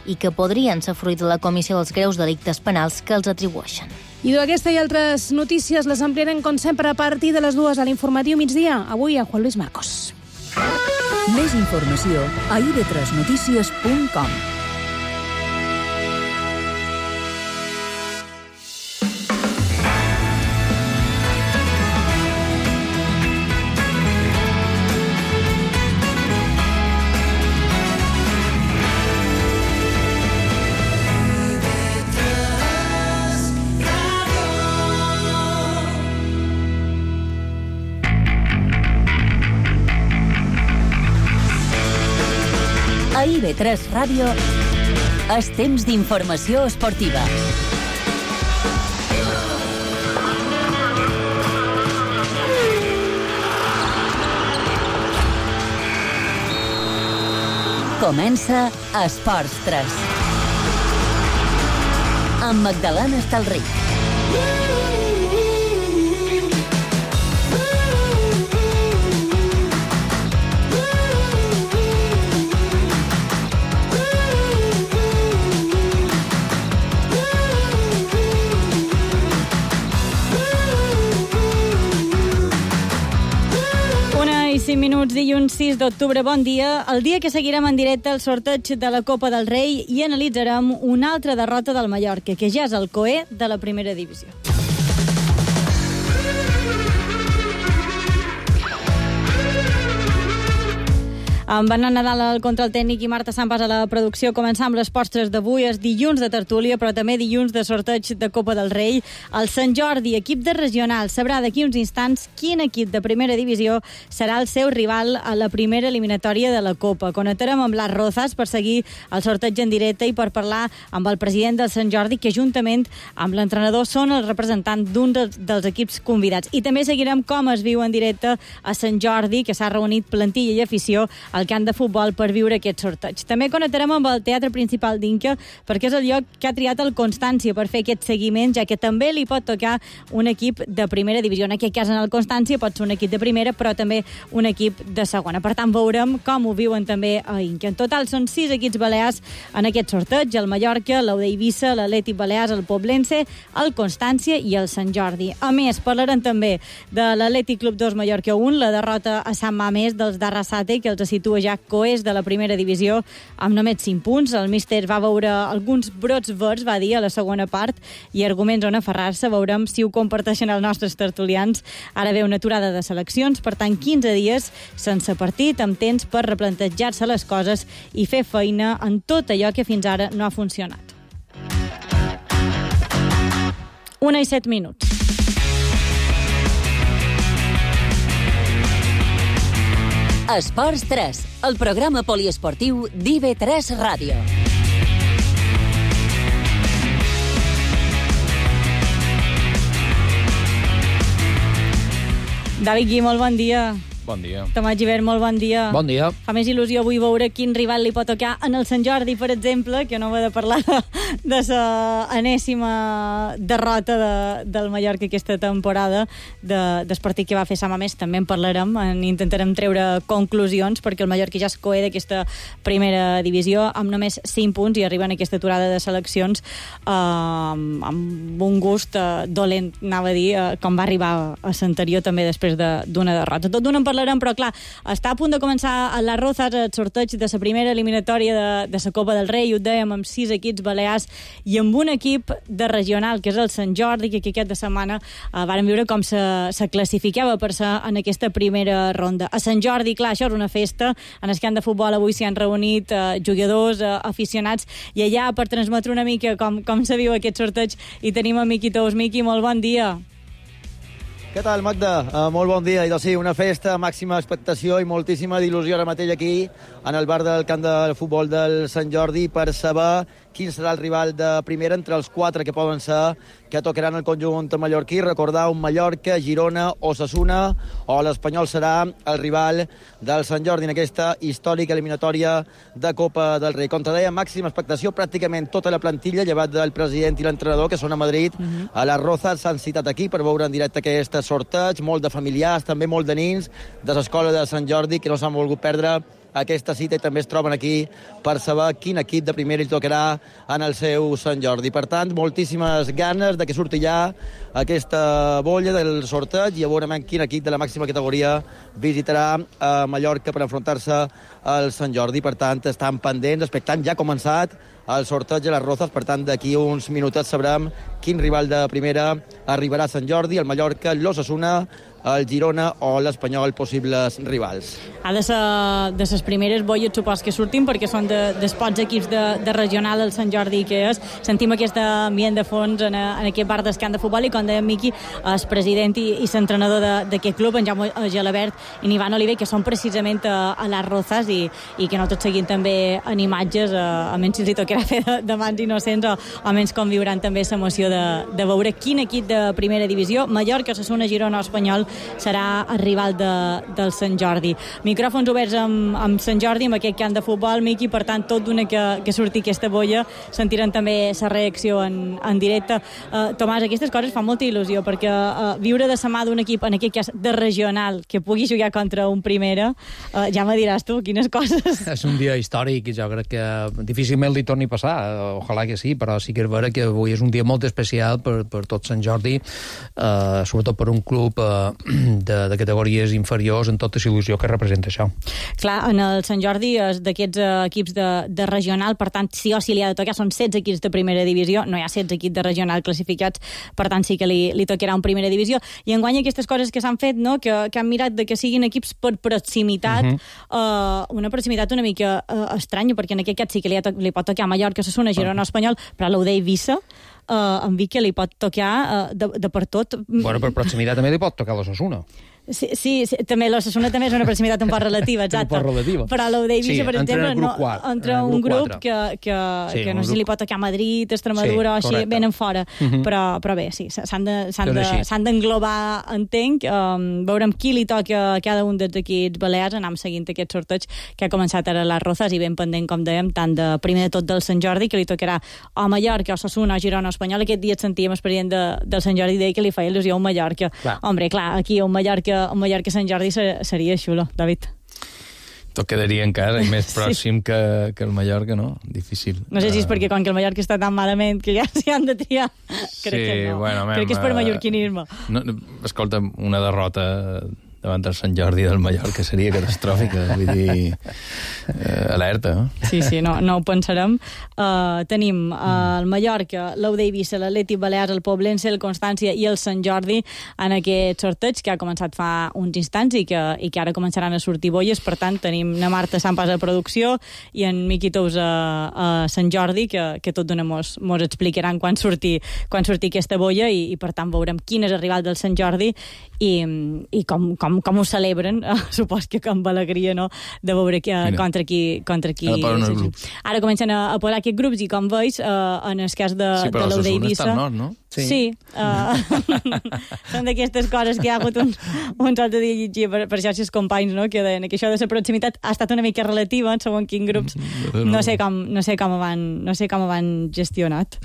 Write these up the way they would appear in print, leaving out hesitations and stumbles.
i que podrien ser fruit de la comissió dels greus delictes penals que els atribueixen. I aquesta i altres notícies les ampliarem, com sempre, a partir de les 2 a l'informatiu migdia. Avui a Juan Luis Marcos. Més informació a ib3notícies.com. A IB3 Ràdio és temps d'informació esportiva. Comença Esports 3. Amb Magdalena Estalric. I 5 minuts, dilluns 6 d'octubre. Bon dia. El dia que seguirem en directe el sorteig de la Copa del Rei i analitzarem una altra derrota del Mallorca, que ja és el coer de la primera divisió. Amb Bernat Nadal contra el tècnic i Marta Sampas a la producció, començam les postres d'avui. És dilluns de tertúlia, però també dilluns de sorteig de Copa del Rei. El Sant Jordi, equip de regional, sabrà d'aquí uns instants quin equip de primera divisió serà el seu rival a la primera eliminatòria de la Copa. Connectarem amb les Rozas per seguir el sorteig en directe i per parlar amb el president del Sant Jordi, que juntament amb l'entrenador són el representant d'un dels equips convidats. I també seguirem com es viu en directe a Sant Jordi, que s'ha reunit plantilla i afició al camp de futbol per viure aquest sorteig. També connectarem amb el Teatre Principal d'Inca, perquè és el lloc que ha triat el Constància per fer aquest seguiment, ja que també li pot tocar un equip de primera divisió. En aquest cas, en el Constància pot ser un equip de primera, però també un equip de segona. Per tant, veurem com ho viuen també a Inca. En total, són 6 equips balears en aquest sorteig: el Mallorca, l'Eivissa, l'Atlètic Balears, el Poblense, el Constància i el Sant Jordi. A més, parlarem també de l'Atlètic Club 2 Mallorca 1, la derrota a Sant Mamés dels d'Arrasate, que els situa ja coers de la primera divisió amb només 5 punts. El míster va veure alguns brots verds, va dir, a la segona part, i arguments on aferrar-se. Veurem si ho comparteixen els nostres tertulians. Ara ve una aturada de seleccions, per tant, 15 dies sense partit, amb temps per replantejar-se les coses i fer feina en tot allò que fins ara no ha funcionat. 1:07. Esports 3, el programa poliesportiu d'IB3 Ràdio. David Gui, molt bon dia. Bon dia. Tomàs Gibert, molt bon dia. Bon dia. Fa més il·lusió avui veure quin rival li pot tocar en el Sant Jordi, per exemple, que no va de parlar de la enèsima derrota del Mallorca aquesta temporada, del partit que va fer Sant Mamés. També en parlarem, intentarem treure conclusions, perquè el Mallorca ja es coer d'aquesta primera divisió amb només 5 punts i arriben a aquesta aturada de seleccions amb un gust dolent, anava a dir, com va arribar a l'anterior també després d'una derrota. Tot d'una en parlarem, però clar, està a punt de començar a les Rozas el sorteig de la primera eliminatòria de la Copa del Rei, ho dèiem, amb 6 equips balears i amb un equip de regional, que és el Sant Jordi, que aquesta setmana vàrem veure com se classificava per ser en aquesta primera ronda. A Sant Jordi, clar, això és una festa. En el camp de futbol avui s'hi han reunit jugadors, aficionats, i allà per transmetre una mica com se viu aquest sorteig hi tenim a Miqui Tous. Miqui, molt bon dia. Què tal, Magda? Molt bon dia. I doncs sí, una festa, màxima expectació i moltíssima il·lusió ara mateix aquí, en el bar del camp de futbol del Sant Jordi, per saber quin serà el rival de primera entre els 4 que poden ser, que tocaran el conjunt mallorquí. Recordar un Mallorca, Girona, Osasuna, o l'Espanyol serà el rival del Sant Jordi en aquesta històrica eliminatòria de Copa del Rei. Com te deia, màxima expectació, pràcticament tota la plantilla, llevat del president i l'entrenador, que són a Madrid, a les Rozas, s'han citat aquí per veure en directe aquest sorteig, molt de familiars, també molt de nins de l'escola de Sant Jordi, que no s'han volgut perdre aquesta cita i també es troben aquí per saber quin equip de primera hi tocarà en el seu Sant Jordi. Per tant, moltíssimes ganes de que surti ja aquesta bolla del sorteig i a veure quin equip de la màxima categoria visitarà a Mallorca per enfrontar-se al Sant Jordi. Per tant, estan pendents, expectant, ja ha començat el sorteig a les Rozas, per tant, d'aquí uns minutets sabrem quin rival de primera arribarà a Sant Jordi, el Mallorca, l'Osasuna, el Girona o l'Espanyol, possibles rivals. Ha de ser de les primeres bolles, supos que surtin, perquè són dels pocs equips de regional el Sant Jordi que és. Sentim aquest ambient de fons en aquest bar d'escant de futbol i, com deia Miqui, el president i l'entrenador d'aquest club, en Jaume Gelabert i en Ivan Oliver, que són precisament a les Rozas i que no tot seguint també en imatges, almenys si els hi tocarà fer de mans innocents o almenys conviuran també l'emoció de veure quin equip de primera divisió, Mallorca, Osasuna, Girona o Espanyol, serà el rival del Sant Jordi. Micròfons oberts amb Sant Jordi, amb aquest camp de futbol, Miqui, per tant, tot d'una que surti aquesta bolla, sentiran també la reacció en directe. Tomàs, aquestes coses fan molta il·lusió, perquè viure de la mà d'un equip, en aquest cas de regional, que pugui jugar contra un primera, ja me diràs tu, quines coses. És un dia històric i jo crec que difícilment li torni a passar, ojalà que sí, però sí que és vera que avui és un dia molt especial per tot Sant Jordi, sobretot per un club de categories inferiors, en tota la il·lusió que representa això. Clar, en el Sant Jordi és d'aquests equips de regional, per tant, sí o sí li ha de tocar, són 16 equips de primera divisió, no hi ha 16 equips de regional classificats, per tant sí que li tocarà un primera divisió. I enguany aquestes coses que s'han fet, no? que han mirat de que siguin equips per proximitat, una proximitat una mica estranya, perquè en aquest cas sí que li pot tocar a Mallorca, Osasuna, Girona, Espanyol, però a l'Ude Eivissa em dic que li pot tocar de per tot. Bueno, per proximitat també li pot tocar l'Osasuna. Sí, també l'Osasuna també és una proximitat un poc relativa, exacte. Però l'Ude Eivissa, per exemple, entra un grup que no sé si li pot tocar a Madrid, Extremadura o així, venen fora. Però bé, sí, s'han d'englobar, entenc, veurem qui li toca a cada un dels equips balears, anem seguint aquest sorteig que ha començat ara a les Rozas i ben pendent, com dèiem, tant de primer de tot del Sant Jordi, que li tocarà a Mallorca, Osasuna, Girona, Espanyol. Aquest dia et sentíem el president del Sant Jordi deia que li feia il·lusió a un Mallorca. Hombre, clar, aquí un Mallorca Sant Jordi seria xulo, David. Tot quedaria encara i més pròxim que el Mallorca, no? Difícil. No sé si és perquè com que el Mallorca està tan malament que ja s'hi han de triar. Crec que no. Bueno, crec que és per mallorquinisme. Escolta, una derrota davant del Sant Jordi del Mallorca seria catastròfica, vull dir, alerta. Sí, no ho pensarem. Tenim el Mallorca, l'Ude Eivissa, l'Atlètic Balears, el Poblense, el Constància i el Sant Jordi en aquest sorteig que ha començat fa uns instants i que ara començaran a sortir bolles. Per tant, tenim na Marta Sampas a producció i en Miqui Tous a Sant Jordi, que tot d'una mos explicaran quan surti aquesta bolla i per tant veurem quin és el rival del Sant Jordi i com ho celebren, supos que amb alegria, no?, de veure contra qui ara comencen a posar aquests grups i com veus, en el cas de l'Ude Eivissa... Sí, però l'Osasuna està al nord, no? Sí. Són d'aquestes coses que hi ha hagut un altre dia llegia per xarxes companys, no?, que deien que això de la proximitat ha estat una mica relativa en segons quins grups. No sé com ho van gestionat.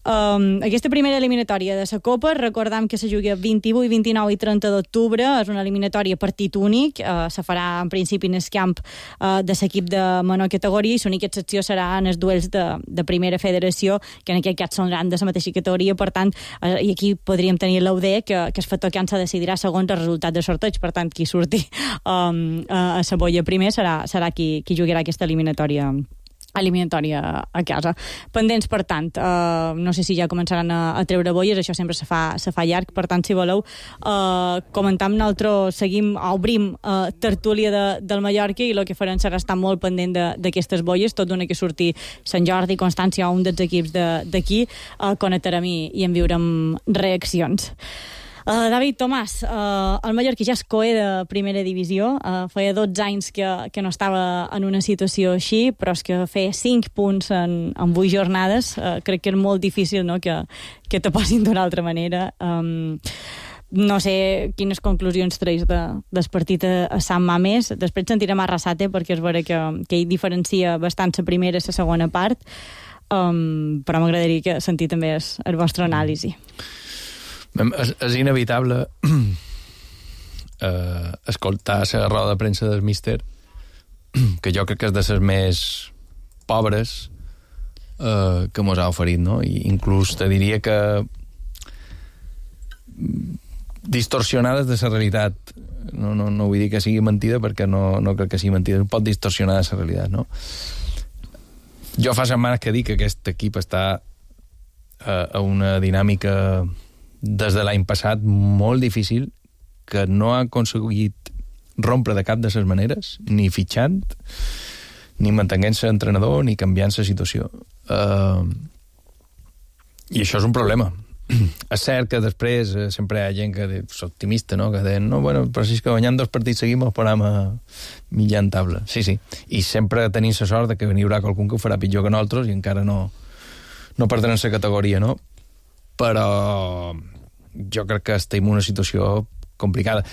Aquesta primera eliminatòria de la Copa, recordam que se juga 28, 29 i 30 d'octubre, és una eliminatòria partit únic, se farà en principi en el camp de l'equip de menor categoria i l'única excepció serà en els duels de primera federació, que en aquest cas són de la mateixa categoria, per tant, i aquí podríem tenir l'UD, que el factor camp se decidirà segons el resultat del sorteig, per tant, qui surti a la bolla primer serà qui jugarà aquesta eliminatòria a casa. Pendents, per tant, no sé si ja començaran a treure bolles, això sempre se fa llarg, per tant, si voleu, comentam, nosaltres obrim tertúlia del Mallorca i el que farem serà estar molt pendent d'aquestes bolles, tot d'una que surti Sant Jordi, Constància o un dels equips d'aquí, connectarem i en viurem reaccions. David, Tomàs, el Mallorca ja és coe de primera divisió, feia 12 anys que no estava en una situació així, però és que fer 5 punts en 8 jornades, crec que és molt difícil, no?, que te posin d'una altra manera. No sé quines conclusions treus del partit a Sant Mamés. Després sentirem a Arrasate, perquè és vera que ell diferencia bastant la primera i la segona part, però m'agradaria sentir també el vostre anàlisi. És inevitable escoltar la roda de premsa del míster que jo crec que és de les més pobres que mos ha oferit, no? I inclús te diria que distorsionades de la realitat. No vull dir que sigui mentida, perquè no crec que sigui mentida. Pot distorsionar de la realitat, no? Jo fa setmanes que dic que aquest equip està a una dinàmica des de l'any passat molt difícil, que no ha aconseguit rompre de cap de les maneres, ni fitxant, ni mantenint-se entrenador, ni canviant la situació. I això és un problema. És cert que després sempre hi ha gent que és optimista, no? Que deien, no, bueno, però si és que guanyant 2 partits seguim el posem a mitjan taula. Sí. I sempre tenim la sort de que n'hi haurà qualcun que ho farà pitjor que nosaltres i encara no perdran la categoria, no? Però jo crec que estem en una situació complicada.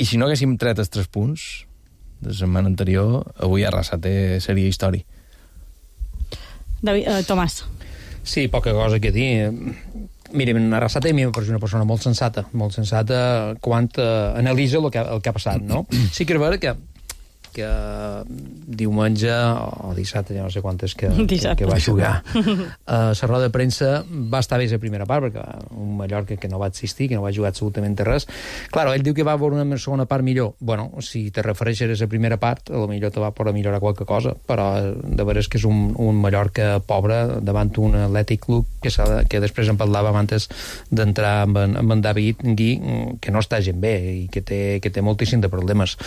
I si no haguéssim tret els 3 punts de la setmana anterior, avui Arrasate seria història. Tomàs. Sí, poca cosa que dir. Mira, Arrasate a mi m'ha una persona molt sensata quan analitza el que ha passat, no? Sí que és vera que diumenge o dissabte, ja no sé quantes que va jugar la roda de premsa va estar bé la primera part, perquè un Mallorca que no va existir, que no va jugar absolutament res. Claro, ell diu que va veure una segona part millor. Bueno, si te refereixes a la primera part, potser te va poder millorar qualque cosa, però de veres que és un Mallorca pobre davant un Atlètic Club que després en parlàvem abans d'entrar amb en David Gui, que no està gent bé i que té moltíssim de problemes.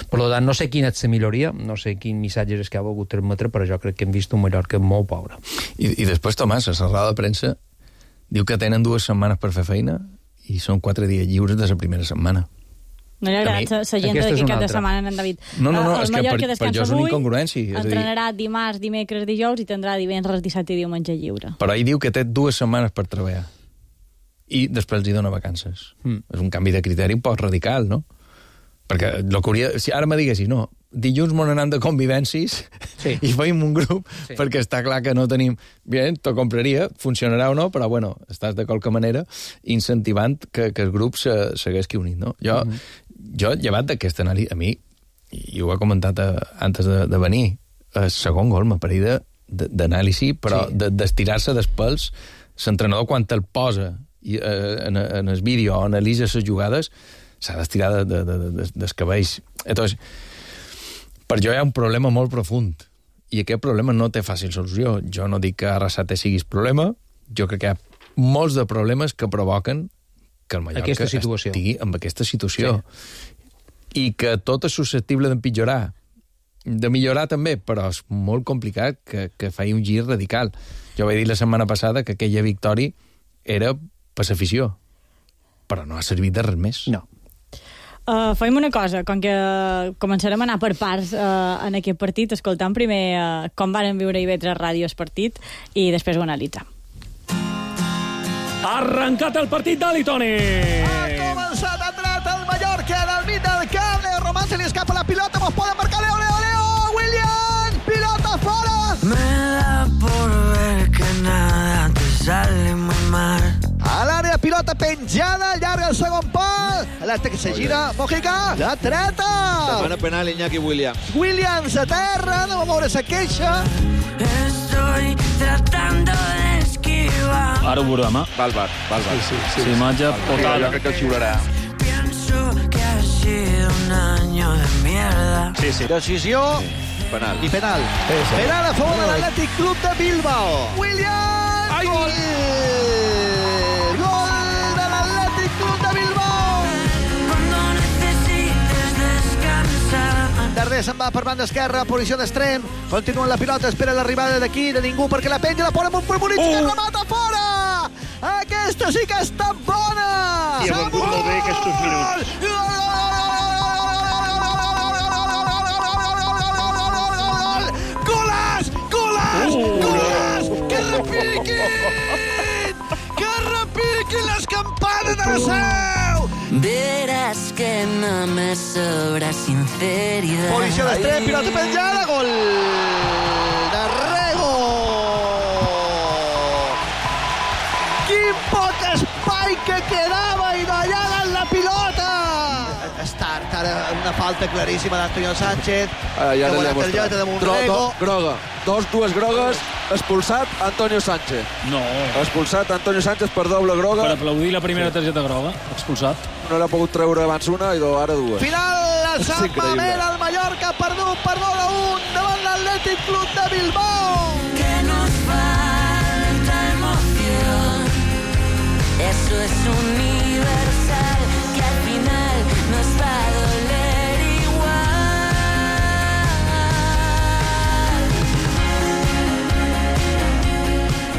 Per tant, no sé quina és la milloria, no sé quin missatge és que ha volgut transmetre, però jo crec que hem vist un Mallorca molt pobre. I després, Tomàs, a la roda de premsa diu que tenen 2 setmanes per fer feina i són 4 dies lliures de la primera setmana. No li ha agradat la gent d'aquí cap de setmana, en David. No, és que per jo és una incongruència. Entrenarà dimarts, dimecres, dijous i tindrà divendres, dissabte i diumenge lliure. Però ell diu que té 2 setmanes per treballar i després els hi dona vacances. És un canvi de criteri un poc radical, no? Perquè si ara me diguessis, no, dilluns m'ho anant de convivències i feim un grup, perquè està clar que no tenim... Bien, t'ho compraria, funcionarà o no, però bueno, estàs de qualque manera incentivant que el grup s'haguesqui unit, no? Jo, llevat d'aquesta anàlisi, a mi, i ho he comentat antes de venir, el segon gol m'apareix d'anàlisi, però d'estirar-se dels pèls, l'entrenador quan te'l posa en el vídeo o analitza les jugades, s'ha d'estirar dels cabells. Entonces, per jo hi ha un problema molt profund i aquest problema no té fàcil solució. Jo no dic que Arrasate siguis problema, jo crec que hi ha molts de problemes que provoquen que el Mallorca estigui en aquesta situació. I que tot és susceptible d'empitjorar. De millorar també, però és molt complicat que faci un gir radical. Jo vaig dir la setmana passada que aquella victòria era per l'afició, però no ha servit de res més. No. Fem una cosa, com que començarem a anar per parts en aquest partit, escoltant primer com varen viure IB3 Ràdio el partit i després ho analitzem. Ha arrencat el partit d'Ali Toni! Ha començat a entrar el Mallorca en el mig del camp. Leo Román se li escapa la pilota, mos poden marcar Leo! William! Pilota fora! Me da por ver que nada te sale muy mal. A l'àrea, pilota penjada, llarga el segon pal. L'Atlètic se gira, Mojica, la treta. Demana penal Iñaki Williams. Williams a terra, no va moure sa queixa. Estoy tratando de esquivar. Ara ho veurem, Va al bar. Sí, imatge potada. Jo crec que el xiularà. Pienso que ha sido un año de mierda. Sí. Decisió Penal. i penal. Penal a favor de l'Atlètic Club de Bilbao. Williams! Gol! Gol de l'Atlètic Club de Bilbao! Cuando necesites descansar. Darder se'n va per banda esquerra, posició d'extrem. Continua la pilota, espera l'arribada d'aquí, de ningú, perquè la penja, la posa amb un premonit que remata fora! Aquesta sí que està bona! I ha vengut molt bé aquests minuts. Golaç! Que repiquin les campanes de la seu! Verás que no me sobra sinceridad. Posició d'extrem, pilota penjada, gol de Rego! Quin poc espai que quedava i d'allà la pilota! És tard, ara una falta claríssima d'Antonio Sánchez. Ja una l'he targeta de mostrat. Monrego. Groga. Dues grogues. Expulsat Antonio Sánchez. No. Expulsat Antonio Sánchez per doble groga. Per aplaudir la primera targeta groga. Expulsat. No n'ha pogut treure abans una i ara dues. Final, el Sant Mamés, el Mallorca ha perdut per 2-1 davant l'Atlètic Club de Bilbao. Que nos falta emoción. Eso es universal, que al final nos va a doler igual.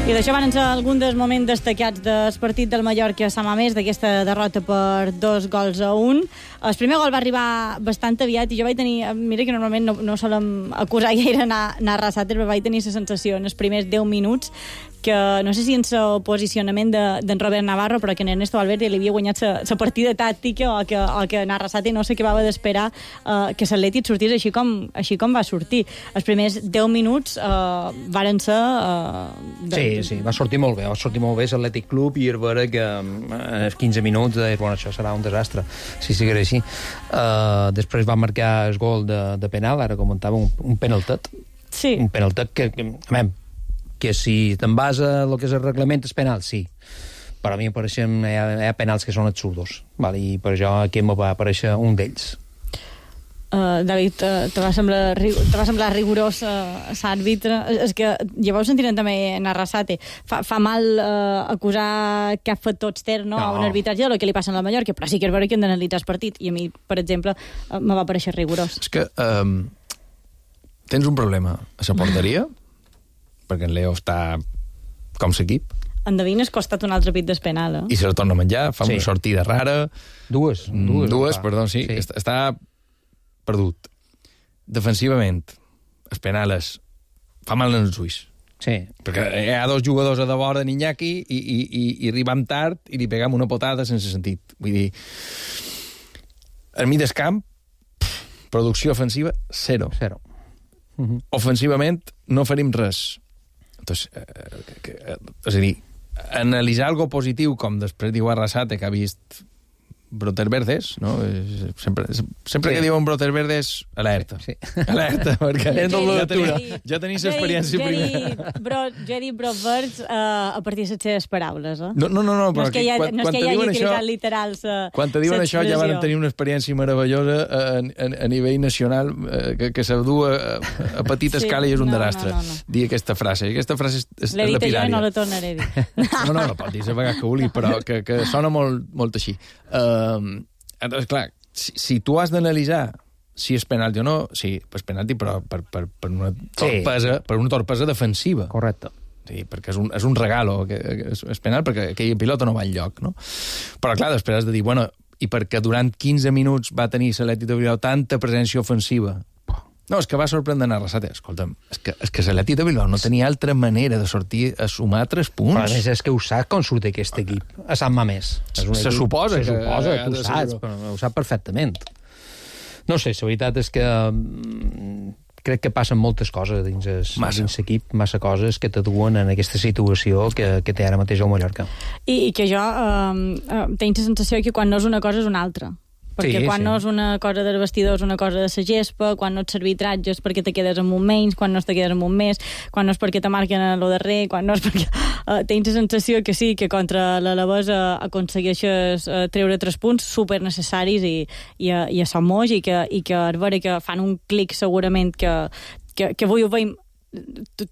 I d'això van ser alguns dels moments destacats del partit del Mallorca a Sant Mamés, d'aquesta derrota per 2-1. El primer gol va arribar bastant aviat i jo vaig tenir... Mira que normalment no solem acusar gaire anar arrasat, però vaig tenir la sensació en els primers 10 minuts que no sé si en el posicionament d'en Robert Navarro, però que en Ernesto Valverde li havia guanyat la partida tàctica o que en Arrasate no s'acabava d'esperar que l'Atlètic sortís així com va sortir. Els primers 10 minuts varen ser... Sí, va sortir molt bé l'Atlètic Club i era vera que als 15 minuts bueno, això serà un desastre si seguirà així. Després va marcar el gol de penal, ara comentava un penaltet. Sí. Un penaltet que si te'n vas a lo que és el reglament és penal, sí. Per a mi apareixen, hi ha penals que són absurdos, vale? I per això aquí em va aparèixer un d'ells. David, te va semblar rigorós l'àrbitre? És que ja vau sentir també en Arrasate. Fa mal acusar cap factor extern a un arbitratge del que li passa a la Mallorca, però sí que és vera que hem d'analitzar el partit, i a mi, per exemple, me va pareixer rigorós. És que tens un problema a la porteria, perquè en Leo està com l'equip. En Davin és costat un altre pit d'espenal, I se la torna a menjar, fa una sortida rara. Dues, perdó, sí. Està perdut. Defensivament, el penal fa mal en els ulls. Sí. Perquè hi ha dos jugadors a de vora d'Iñaki i arribam tard i li pegam una potada sense sentit. Vull dir, al mig del camp, producció ofensiva, zero. Ofensivament, no farim res. Entonces, és a dir, analitzar algo positiu, com després diu Arrasate, que ha vist brotes verdes, no? Sempre que diuen brotes verdes, alerta. Sí. Alerta, perquè ja tenim l'experiència primera. Jo he dit brots verds a partir de les seves paraules, eh? No, però és que hi hagi utilitat literal. Quan te diuen això, ja van tenir una experiència meravellosa a nivell nacional que se du a petita escala i és un desastre. Dir aquesta frase. Aquesta frase és lapidària. L'he dit jo i no la tornaré a dir. No, la pot dir a vegades que vulgui, però que sona molt així. Entonces, clar, si tu has d'analitzar si és penalti o no, sí, és penalti, però per una torpesa defensiva. Correcte. Sí, perquè és un regalo, és penal perquè aquella pilota no va enlloc, no? Però clar, després has de dir, bueno, i perquè durant 15 minuts va tenir l'Atlètic de Bilbao tanta presència ofensiva. No, és que va sorprendre Arrasate. Escolta'm, és que l'Atlètic de Bilbao no tenia altra manera de sortir a sumar 3 punts. Però a més és que ho sap com surt aquest equip a Sant Mamés. Se suposa, tu ho saps, però ho sap perfectament. No sé, la veritat és que crec que passen moltes coses dins l'equip, massa coses que t'aduen en aquesta situació que té ara mateix el Mallorca. I que jo tinc la sensació que quan no és una cosa és una altra. Perquè quan no és una cosa del vestidor és una cosa de la gespa, quan no ets arbitratge és perquè te quedes amb un menys, quan no te quedes amb un més, quan no és perquè te marquen a lo darrer, quan no és perquè... tens la sensació que sí, que contra l'Alavés aconsegueixes treure 3 punts super necessaris i a Somos i que és vera que fan un clic segurament que avui ho veiem.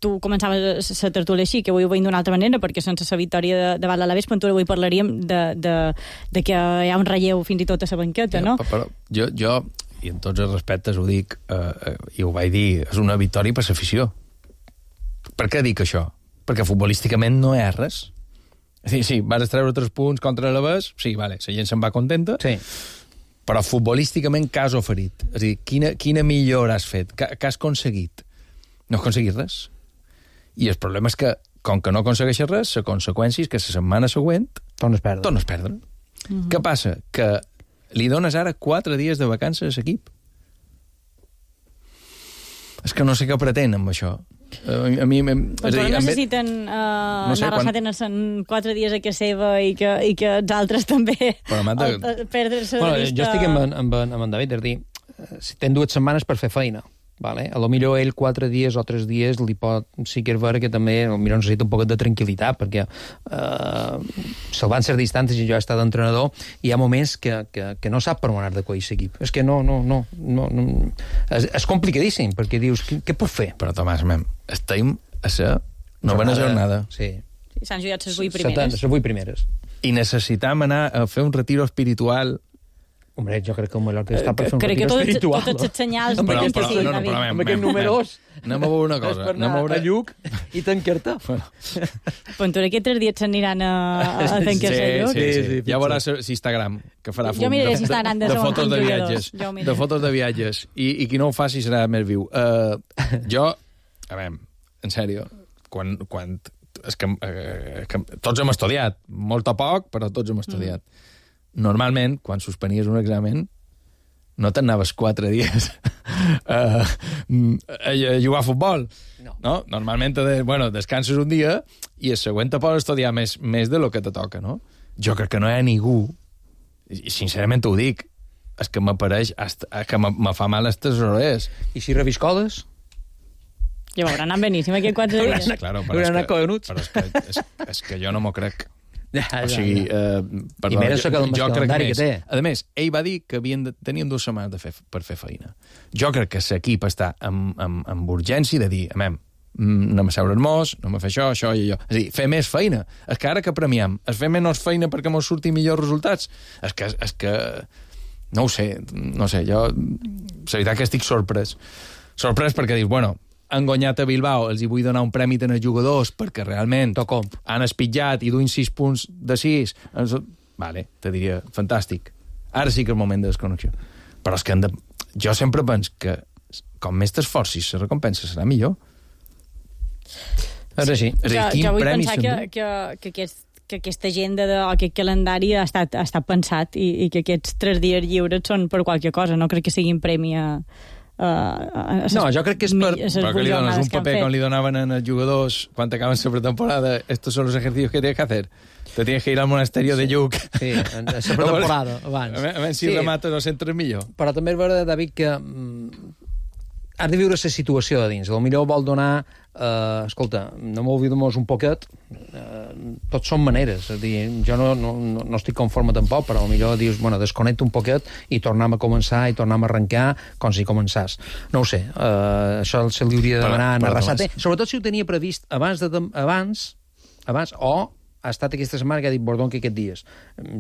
Tu començaves la tertúlia així, que avui ho veiem d'una altra manera, perquè sense la victòria davant l'Alavés, avui parlaríem de que hi ha un relleu fins i tot a la banqueta, no? Però jo, i en tots els respectes ho dic, i ho vaig dir, és una victòria per l'afició. Per què dic això? Perquè futbolísticament no hi ha res. Sí, vas treure 3 punts contra l'Alavés, sí, vale, la gent se'n va contenta, sí. Però futbolísticament què has oferit? És a dir, quina millora has fet? Què has aconseguit? No has aconseguit res. I el problema és que, com que no aconsegueixes res, la conseqüència és que la setmana següent tornes a perdre. Què passa? Que li dones ara 4 dies de vacances a l'equip. És que no sé què pretén amb això. A mi... Però necessiten anar relacionant en 4 dies a casa seva i que els altres també perdre-se de vista... Jo estic amb en David, és a dir, si tenen 2 setmanes per fer feina, vale? A lo millor ell 4 dies o 3 dies li pot... Sí que és vera que també potser necessita un poc de tranquil·litat, perquè salvant certes distàncies, jo he estat entrenador, hi ha moments que no sap per on anar de queix equip. És que no. És complicadíssim, perquè dius, què puc fer? Però, Tomàs, estem a la novena jornada. Sí. S'han jugat les 8 primeres. Les 8 primeres. I necessitam anar a fer un retiro espiritual. Hombre, jo crec que el Mallorca està per fer un retiro espiritual. Crec que totes les senyals... Però amb aquest números... Anem a veure una cosa. És per anar a Lluc i tancar-te. Pentura que 3 dies s'aniran a tancar-se a Lluc. Sí. Ja veuràs l'Instagram, que farà fum. Jo miraré si estaran de fotos de viatges. De fotos de viatges. I qui no ho faci serà més viu. Jo, a veure, en sèrio, quan és que tots hem estudiat, molt o poc, però tots hem estudiat. Normalment, quan suspenies un examen, no t'anaves 4 dies a jugar a futbol. No? Normalment, descanses un dia i el següent te pots estudiar més de lo que te toca, no? Jo crec que no hi ha ningú, i sincerament ho dic, és que m'apareix, que me fa mal aquestes hores. I si reviscoles? Ja veurà, anant beníssim aquí 4 dies. Claro, però és que jo no m'ho crec. O sigui, perdó, i més el calendari que té. A més, ell va dir que tenien 2 setmanes per fer feina. Jo crec que l'equip està amb urgència de dir, anem a seure-nos, anem a fer això i allò. És a dir, fer més feina. És que ara que premiam, es fer menys feina perquè mos surtin millors resultats? És que no ho sé, jo la veritat que estic sorprès. Sorprès perquè dius, han guanyat a Bilbao, els hi vull donar un prèmit als jugadors perquè realment han espitjat i duin 6 punts de 6. Vale, te diria, fantàstic. Ara sí que és el moment de desconnexió. Però és que jo sempre penso que com més t'esforcis, la recompensa serà millor. És així. Jo vull pensar que aquesta agenda o aquest calendari ha estat pensat i que aquests 3 dies lliures són per qualque cosa. No crec que siguin premi a... No, jo crec que és per... Però que li dones un paper com li donaven als jugadors quan acaben la pretemporada, estos son los ejercicios que tienes que hacer. Te tienes que ir al monasterio de Lluc. Sí, en la pretemporada, abans. A veure si remates o centres millor. Però també és vera, David, que has de viure la situació de dins. Potser vol donar... escolta, no m'oblidem-nos un poquet. Tots són maneres. És a dir, jo no estic conforme tampoc, però potser dius, desconnecta un poquet i tornem a començar i tornem a arrencar com si començàs. No ho sé. Això se li hauria de demanar a Arrasate. Sobretot si ho tenia previst abans o ha estat aquesta setmana que ha dit Bordón que aquests dies.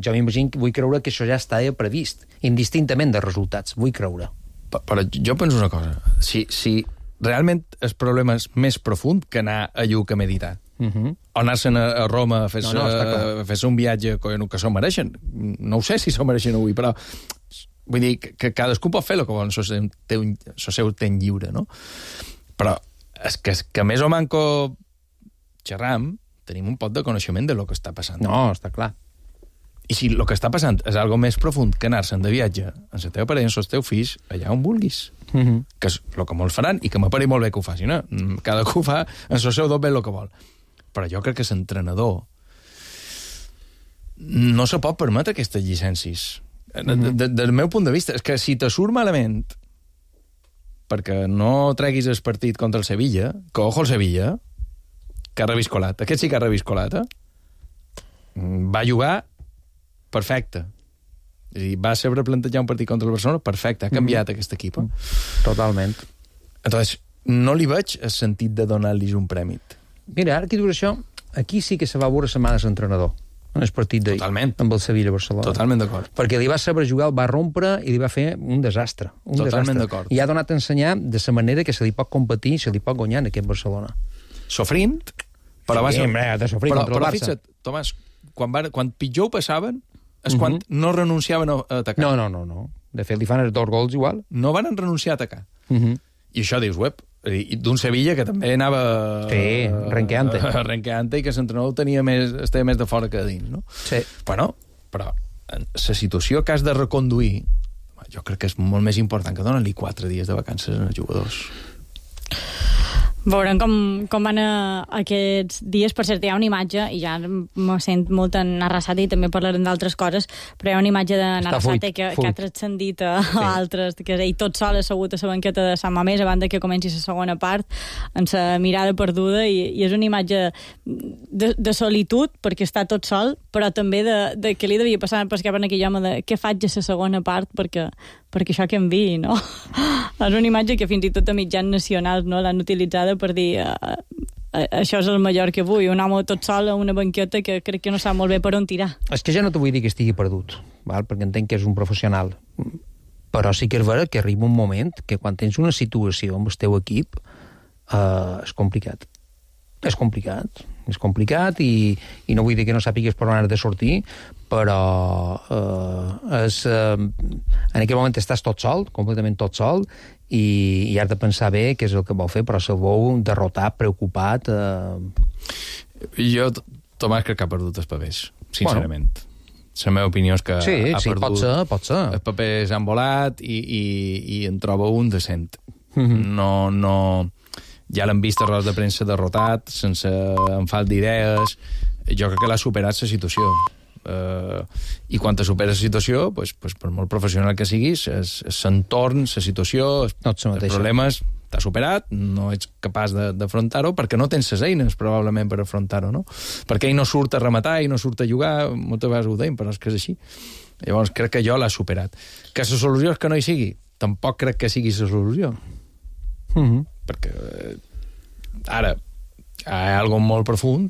Jo m'imagino, vull creure que això ja estava previst, indistintament de resultats. Vull creure. Però jo penso una cosa. Si realment el problema és més profund que anar a Lluc a meditar. O anar-se'n a Roma a fer-se un viatge que s'ho mereixen. No ho sé si s'ho mereixen avui, però vull dir que cadascú pot fer el que vol, el seu temps lliure, no? Però és que més o manco xerram, tenim un pot de coneixement de lo que està passant. No, està clar. I si el que està passant és algo més profund que anar-se'n de viatge amb la teva parella, amb els teus fills, allà on vulguis. Que és el que molts faran i que m'apareix molt bé que ho facin. Cadascú fa en el seu doblet el que vol. Però jo crec que l'entrenador no se pot permetre aquestes llicències. Del meu punt de vista, és que si te surt malament perquè no treguis el partit contra el Sevilla, que ojo el Sevilla, que ha reviscolat. Aquest sí que ha reviscolat, va jugar perfecte. És a dir, va saber plantejar un partit contra el Barcelona perfecte, ha canviat aquest equip. Totalment. Entonces, no li veig el sentit de donar-los un prèmit. Mira, ara que dius això, aquí sí que se va veure setmanes d'entrenador, en el partit d'ahir, amb el Sevilla-Barcelona. Totalment d'acord. Perquè li va saber jugar, el va rompre i li va fer un desastre. Totalment d'acord. I ha donat a ensenyar de la manera que se li pot competir i se li pot guanyar en aquest Barcelona. Sofrint, però va ser... de sofrir contra el Barça. Però fixa't, Tomàs, quan pitjor ho passaven, és quan no renunciaven a atacar. No. De fet, li fan els 2 gols igual. No van renunciar a atacar. I això dius, d'un Sevilla que també anava... Sí, renqueante. Renqueante i que l'entrenador estava més de fora que de dins, no? Sí. Però la situació que has de reconduir, jo crec que és molt més important que donar-li 4 dies de vacances als jugadors. Veurem com van aquests dies. Per cert, hi ha una imatge, i ja me sent molt en Arrasate, i també parlarem d'altres coses, però hi ha una imatge de Arrasate que ha transcendit a altres, que ell tot sol assegut a la banqueta de Sant Mamés abans que comenci la segona part, amb la mirada perduda, i és una imatge de solitud, perquè està tot sol, però també de que li devia passar per cap en aquell home de què faig a la segona part perquè això que enviï, no? És una imatge que fins i tot a mitjans nacionals no l'han utilitzada per dir això és el Mallorca avui, un home tot sol a una banqueta que crec que no sap molt bé per on tirar. És que ja no t'ho vull dir que estigui perdut, val? Perquè entenc que és un professional, però sí que és vera que arriba un moment que quan tens una situació amb el teu equip és complicat. És complicat i no vull dir que no sàpigues per on has de sortir, però en aquell moment estàs tot sol, completament tot sol, i has de pensar bé què és el que vol fer, però se'l veu derrotat, preocupat. Jo, Tomàs, crec que ha perdut els papers, sincerament. La meva opinió és que ha perdut... pot ser. Els papers han volat i en troba un decent. No... Ja l'hem vist a rodes de premsa derrotat, sense enfalt d'idees. Jo crec que l'ha superat la situació. I quan te superes la situació, pues, per molt professional que siguis, l'entorn, la situació, els problemes, t'ha superat, no ets capaç d'afrontar-ho, perquè no tens les eines, probablement, per afrontar-ho, no? Perquè ell no surt a rematar, ell no surt a jugar, moltes vegades ho deim, però és que és així. Llavors, crec que jo l'ha superat. Que la solució és que no hi sigui, tampoc crec que sigui la solució. Perquè ara hi ha alguna molt profund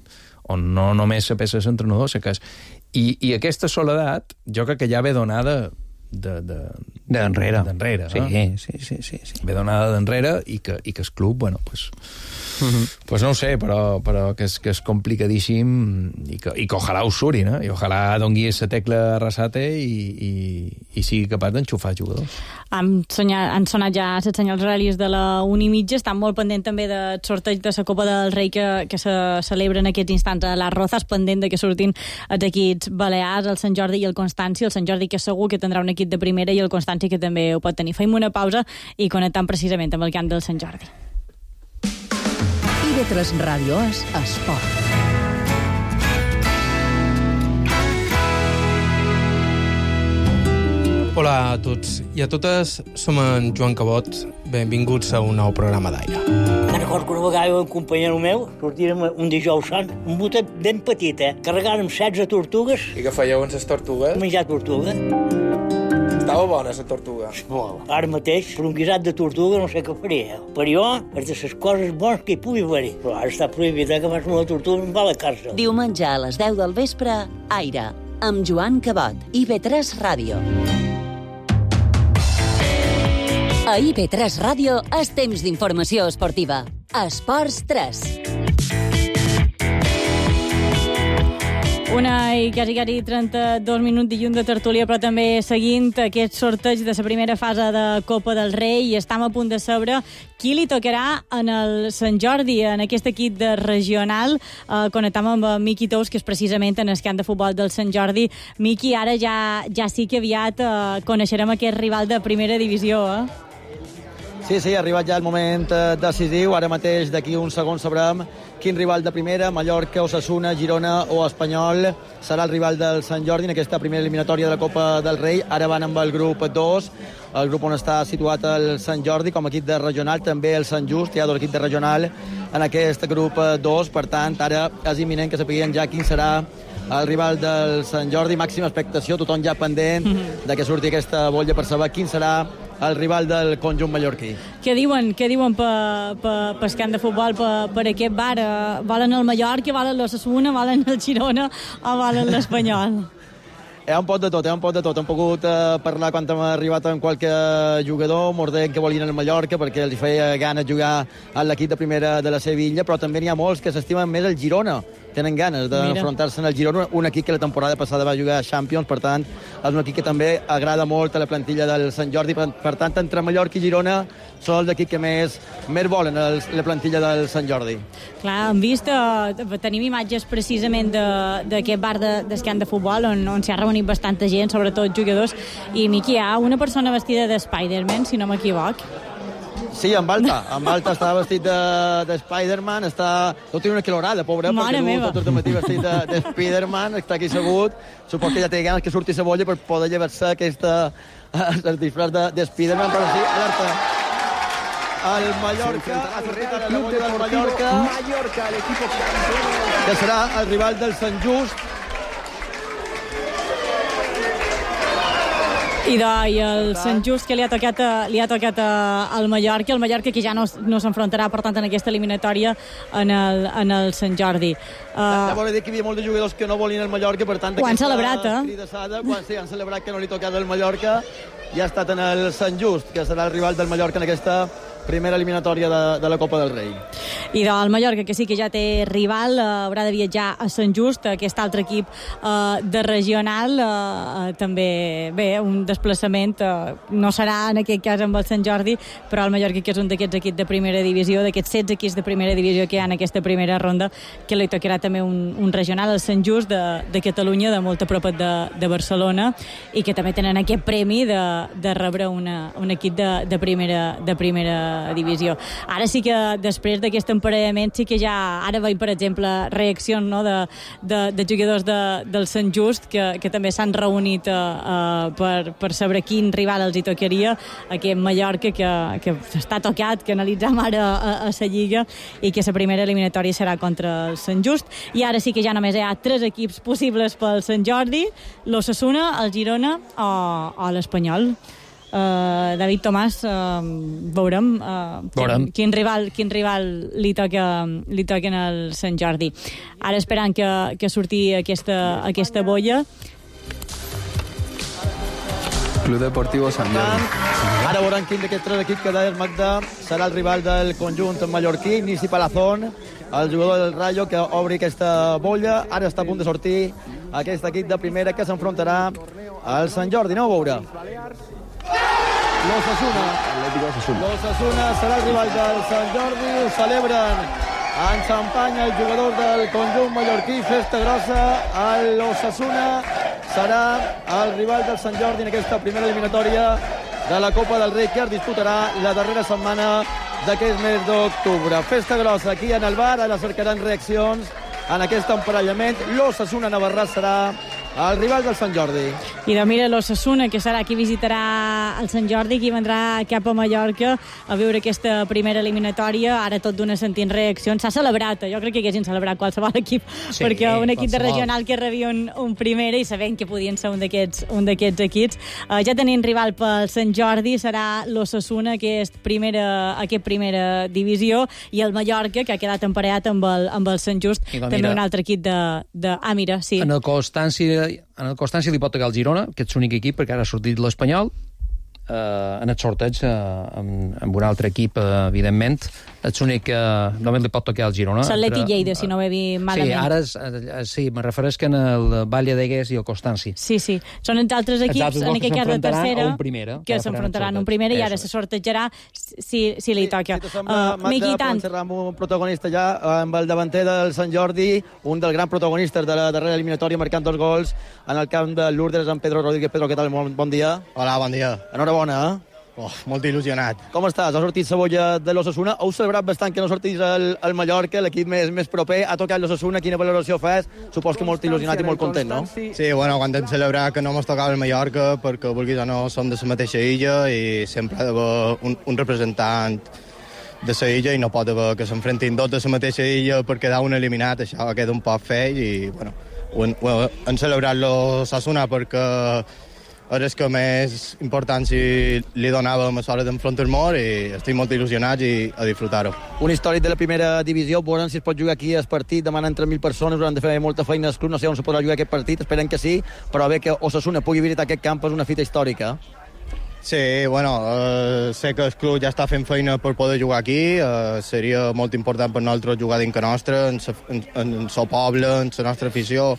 on no només se pesa l'entrenador, i aquesta soledat jo crec que ja ve donada d'enrere. Sí. Ve donada d'enrere i que el club, bueno, pues no ho sé, però que és complicadíssim i que ojalà ho suri, no? I ojalà dongui la tecla Arrasate i sigui capaç d'enxufar jugadors. Han sonat ja els senyals horaris de la 1:30, estan molt pendent també del sorteig de la Copa del Rei que se celebra en aquests instants a les Rozas, pendent de que surtin els equips balears, el Sant Jordi i el Constanci, el Sant Jordi que segur que tindrà un equip de primera i el Constanci que també ho pot tenir. Fem una pausa i connectem precisament amb el camp del Sant Jordi. IB3 Ràdio és esport. Hola a tots i a totes, som en Joan Cabot. Benvinguts a un nou programa d'Aire. Me'n recordo que una vegada un companyero meu sortirem un dijous sant, un botet ben petit, carregàrem 16 tortugues. I què fèieu amb les tortugues? Menjar tortuga. Estava bona, la tortuga. Molt. Ara mateix, per un guisat de tortuga no sé què faria. Per jo, és de les coses bones que hi pugui haver. Però ara està prohibit que fas una tortuga i em va a la càrcel. Diumenge a les 10 del vespre, Aire, amb Joan Cabot, IB3 Ràdio. A IB3 Ràdio és temps d'informació esportiva. Esports 3. Una i quasi 32 minuts dilluns de tertúlia, però també seguint aquest sorteig de la primera fase de Copa del Rei, i estem a punt de saber qui li tocarà en el Sant Jordi, en aquest equip de regional. Connectam amb Miqui Tous, que és precisament en el camp de futbol del Sant Jordi. Miqui, ara ja sí que aviat coneixerem aquest rival de primera divisió, Sí, ha arribat ja el moment decisiu. Ara mateix, d'aquí uns segons, sabrem quin rival de primera, Mallorca, Osasuna, Girona o Espanyol, serà el rival del Sant Jordi en aquesta primera eliminatòria de la Copa del Rei. Ara van amb el grup 2, el grup on està situat el Sant Jordi com a equip de regional, també el Sant Just, hi ha dos equips de regional en aquest grup 2, per tant, ara és imminent que sapiguem ja quin serà el rival del Sant Jordi. Màxima expectació, tothom ja pendent de que surti aquesta bolla per saber quin serà el rival del conjunt mallorquí. Què diuen pel camp de futbol, per aquest bar? Volen el Mallorca, volen l'Osasuna, volen el Girona o volen l'Espanyol? Hi ha un pot de tot. Hem pogut parlar quan hem arribat amb qualque jugador, mordent que volien el Mallorca perquè els feia gana jugar a l'equip de primera de la Sevilla, però també n'hi ha molts que s'estimen més el Girona. Tenen ganes d'enfrontar-se en el Girona, un equip que la temporada passada va jugar a Champions, per tant, és un equip que també agrada molt a la plantilla del Sant Jordi. Per tant, entre Mallorca i Girona són els equips que més volen la plantilla del Sant Jordi. Clar, hem vist, tenim imatges precisament d'aquest bar del camp de futbol on s'hi ha reunit bastanta gent, sobretot jugadors, i Miqui, hi ha una persona vestida de Spider-Man, si no m'equivoc. Sí, amb Balta. Amb Balta està vestit de Spider-Man, no té una quilorada, pobre, Mare perquè meva. tot el matí vestit de Spider-Man, està aquí assegut. Supos que ja té ganes que surti cebolla per poder llevar-se el disfraç de Spider-Man, però sí, alerta. El Mallorca, ha sortit ara la bolla del Mallorca, que serà el rival del Sant Just. I el Sant Just que li ha tocat al Mallorca, el Mallorca que ja no s'enfrontarà, per tant, en aquesta eliminatòria en el Sant Jordi. Ja vol dir que hi havia molts jugadors que no volien el Mallorca, per tant, ho han celebrat, sí, han celebrat que no li tocava el Mallorca, i ha estat en el Sant Just, que serà el rival del Mallorca en aquesta primera eliminatòria de la Copa del Rei. I del Mallorca, que sí que ja té rival, haurà de viatjar a Sant Just, aquest altre equip de regional, també, bé, un desplaçament, no serà en aquest cas amb el Sant Jordi, però el Mallorca, que és un d'aquests equips de primera divisió, d'aquests 16 equips de primera divisió que hi ha en aquesta primera ronda, que li tocarà també un regional, el Sant Just de Catalunya, de molt a prop de Barcelona, i que també tenen aquest premi de rebre un equip de primera divisió. Ara sí que després d'aquest emparellament sí que ja ara veiem, per exemple, reaccions, no, de jugadors del Sant Just que també s'han reunit per saber quin rival els hi tocaria, aquest Mallorca que està tocat, que analitzam ara a la Lliga, i que la primera eliminatòria serà contra el Sant Just. I ara sí que ja només hi ha 3 equips possibles pel Sant Jordi: l'Osasuna, el Girona o l'Espanyol. David Tomàs, veurem quin rival li toquen al Sant Jordi. Ara esperant que surti aquesta bolla. Club Deportivo Sant Jordi. Ara veurem quin d'aquests 3 equips que deia el Magda serà el rival del conjunt mallorquí. Nisi Palazón, el jugador del Rayo, que obri aquesta bolla. Ara està a punt de sortir aquest equip de primera que s'enfrontarà al Sant Jordi. Aneu a veure. L'Osasuna serà el rival del Sant Jordi. Ho celebren en xampany el jugador del conjunt mallorquí. Festa grossa. L'Osasuna serà el rival del Sant Jordi en aquesta primera eliminatòria de la Copa del Rei, que es disputarà la darrera setmana d'aquest mes d'octubre. Festa grossa aquí en el bar. Ara cercaran reaccions en aquest emparellament. L'Osasuna Navarrà serà el rival del Sant Jordi. I de mira l'Osasuna, que serà qui visitarà el Sant Jordi, qui vendrà cap a Mallorca a veure aquesta primera eliminatòria. Ara tot d'una sentint reaccions. S'ha celebrat, jo crec que haguessin celebrat qualsevol equip, sí, perquè un equip de regional que rebia un primera, i sabent que podien ser un d'aquests equips. Ja tenim rival pel Sant Jordi, serà l'Osasuna, que és primera divisió, i el Mallorca, que ha quedat emparellat amb el Sant Just, també un altre equip mira, sí. En el Constància li pot tocar el Girona, que és l'únic equip, perquè ara ha sortit l'Espanyol. En el sorteig amb un altre equip, evidentment, és l'únic que només li pot tocar al Girona. L'Atleti Lleida, si no ho he vist malament. Sí, ara sí, me refereix que en el Valle d'Egués i el Constància. Sí, són els altres equips en aquest cas de tercera que s'enfrontaran un primera, i ara se sortejarà si li toca. Magda, podem xerrar amb un protagonista ja, amb el davanter del Sant Jordi, un dels grans protagonistes de la darrera eliminatòria, marcant 2 gols en el camp de Lourdes, en Pedro Rodríguez. Pedro, què tal? Bon dia. Hola, bon dia. Enhorabona, molt il·lusionat. Com estàs? Ha sortit cebolla de l'Osasuna. Heu celebrat bastant que no sortís el Mallorca, l'equip més proper. Ha tocat l'Osasuna. Quina valoració fas? Supos que molt il·lusionat i molt content, no? Sí, bueno, quan hem celebrat que no mos tocava el Mallorca, perquè vulguis o no som de la mateixa illa, i sempre ha d'haver un representant de la illa, i no pot haver que s'enfrentin 2 de la mateixa illa per quedar un eliminat. Això queda un poc feix, i bueno, hem celebrat l'Osasuna perquè ara és que més important si li donàvem a l'hora d'enfrontar-nos, i estic molt il·lusionat i a disfrutar-ho. Un històric de la primera divisió, veurem si es pot jugar aquí el partit, demanen 3.000 persones, hauran de fer molta feina al club, no sé on se podrà jugar aquest partit, esperem que sí, però bé que Osasuna pugui visitar aquest camp és una fita històrica. Sí, bueno, sé que el club ja està fent feina per poder jugar aquí, seria molt important per nosaltres jugar dins que nostre, en el poble, en la nostra afició.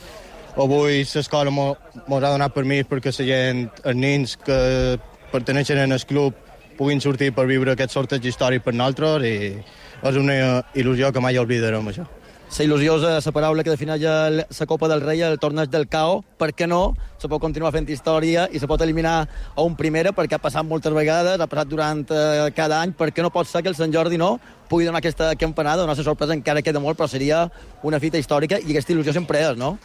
Avui l'escola mos ha donat permís perquè la gent, els nens que perteneixen al club, puguin sortir per viure aquest sorteig històric per nosaltres, i és una il·lusió que mai oblidarem, això. La il·lusió és la paraula que defineix la Copa del Rei, el torneig del CAO. Per què no? Se pot continuar fent història i se pot eliminar a un primera, perquè ha passat moltes vegades, ha passat durant cada any. Per què no pot ser que el Sant Jordi no pugui donar aquesta campanada? Donar la sorpresa encara queda molt, però seria una fita històrica i aquesta il·lusió sempre és, no?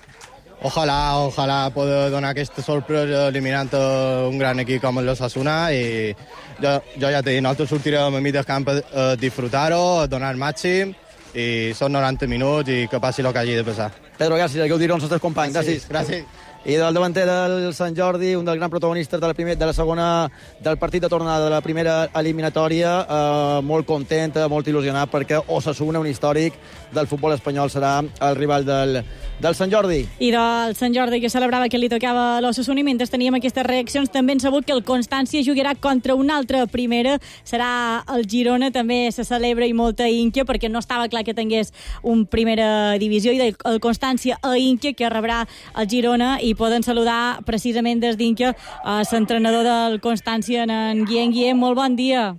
Ojalà poder donar aquesta sorpresa eliminant un gran equip com l'Osasuna i jo ja t'he dit, nosaltres sortirem a mig del camp a disfrutar-ho, a donar el màxim i són 90 minuts i que passi el que hagi de passar. Pedro, gràcies, que ho diré als nostres companys. Gràcies. I del davanter del Sant Jordi, un dels grans protagonistes de la segona, del partit de tornada de la primera eliminatòria, molt content, molt il·lusionat, perquè Osasuna, un històric del futbol espanyol, serà el rival del Sant Jordi. I del Sant Jordi, que celebrava que li tocava a l'Osasuna, i mentre teníem aquestes reaccions també hem sabut que el Constància jugarà contra una altra primera, serà el Girona, també se celebra i molta ínquia, perquè no estava clar que tingués un primera divisió, i el Constància a ínquia, que rebrà el Girona, i poden saludar precisament des d'Ínquia l'entrenador del Constància, en Guillem. Guillem, molt bon dia.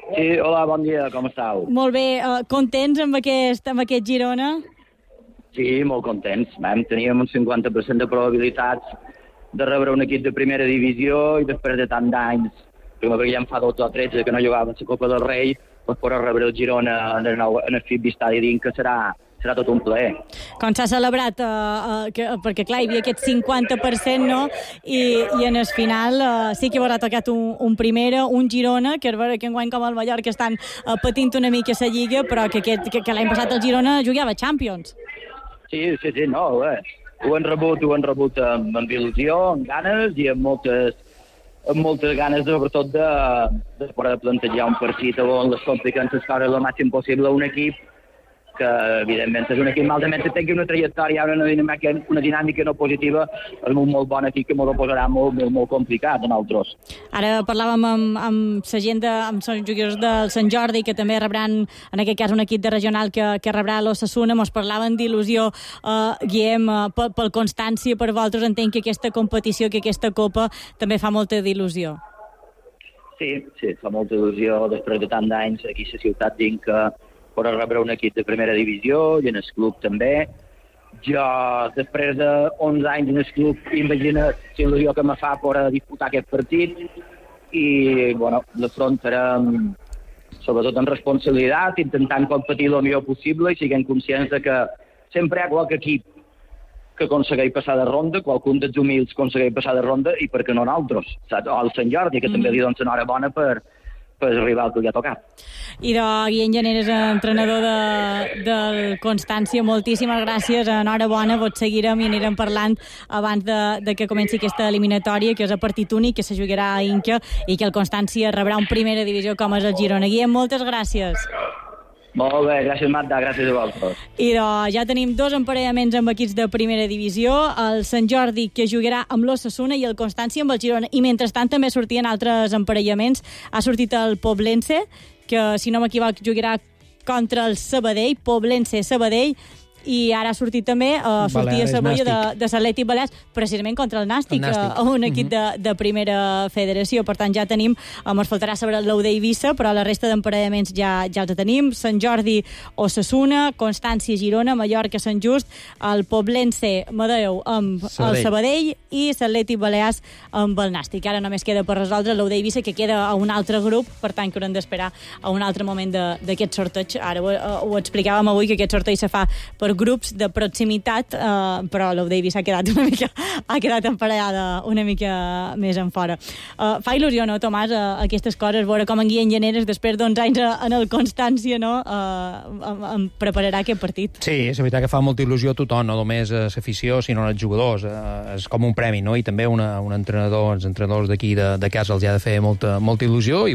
Sí, hola, bon dia, com estàu? Molt bé, contents amb aquest Girona? Sí, molt contents. Teníem un 50% de probabilitats de rebre un equip de primera divisió i després de tant d'anys, perquè ja en fa 12 o 13 que no jugava a la Copa del Rei, doncs poder rebre el Girona en el FIB Estadi d'Inca serà tot un plaer. Com s'ha celebrat, perquè clar, hi havia aquest 50%, no? I en el final sí que haurà tocat un primera, un Girona, que enguany com el Mallorca estan patint una mica la Lliga, però que l'any passat el Girona jugava Champions. Sí, no, ho han rebut amb il·lusió, amb ganes i amb moltes ganes, sobretot, de poder plantejar un partit on les complicants es cobren el màxim possible a un equip que, evidentment, és un equip malament que tingui una trajectòria, una dinàmica no positiva, és un molt bon equip que m'ho posarà molt complicat a nosaltres. Ara parlàvem amb la gent, amb els jugadors del Sant Jordi, que també rebran, en aquest cas, un equip de regional que rebrà l'Osasuna. Mos parlaven d'il·lusió, Guillem, pel Constància, per vosaltres. Entenc que aquesta competició, que aquesta Copa, també fa molta d'il·lusió. Sí, fa molta il·lusió, després de tant d'anys aquí a la ciutat d'Inca, per rebre un equip de primera divisió i en el club també. Jo, després de 11 anys en el club, imagina l'il·lusió que me fa per disputar aquest partit i, l'afrontarem sobretot amb responsabilitat, intentant competir el millor possible i siguem conscients de que sempre hi ha qualque equip que aconsegueix passar de ronda, qualcun dels humils aconsegueix passar de ronda i per què no nosaltres, saps? O el Sant Jordi, que també li dona enhorabona per el rival que li ha tocat. I Guillem Llaneres, entrenador del Constància, moltíssimes gràcies, enhorabona, vos seguirem i anirem parlant abans de que comenci aquesta eliminatòria, que és a partit únic, que se jugarà a Inca i que el Constància rebrà un primera divisió com és el Girona. Guillem, moltes gràcies. Molt bé, gràcies Marta, gràcies a vosaltres. I ja tenim 2 emparellaments amb equips de primera divisió, el Sant Jordi, que jugarà amb l'Osasuna, i el Constància amb el Girona. I mentrestant també sortien altres emparellaments. Ha sortit el Poblense, que si no m'equivoc jugarà contra el Sabadell, Poblense-Sabadell, i ara ha sortit també sortir a Saboia de l'Atlètic Balears, precisament contra el Nàstic, un equip de primera federació. Per tant, ja tenim, ens faltarà saber l'Euder Eivissa, però la resta d'emparellaments ja els tenim. Sant Jordi, Osasuna, Constància, Girona, Mallorca, Sant Just, el Poblense, Madeu amb el Sabadell i l'Atlètic Balears amb el Nàstic. Ara només queda per resoldre l'Euder Eivissa, que queda a un altre grup, per tant que haurem d'esperar a un altre moment d'aquest sorteig. Ara ho explicàvem avui, que aquest sorteig se fa per grups de proximitat, però l'Euder Eivissa ha quedat emparellada una mica més en fora. Fa il·lusió, no, Tomàs, aquestes coses, veure com en Guillem Llaneres, després d'11 anys en el Constància, no, em prepararà aquest partit. Sí, és veritat que fa molta il·lusió a tothom, no només a l'afició, sinó als jugadors. És com un premi, no? I també un entrenador, els entrenadors d'aquí de casa els ha de fer molta il·lusió i,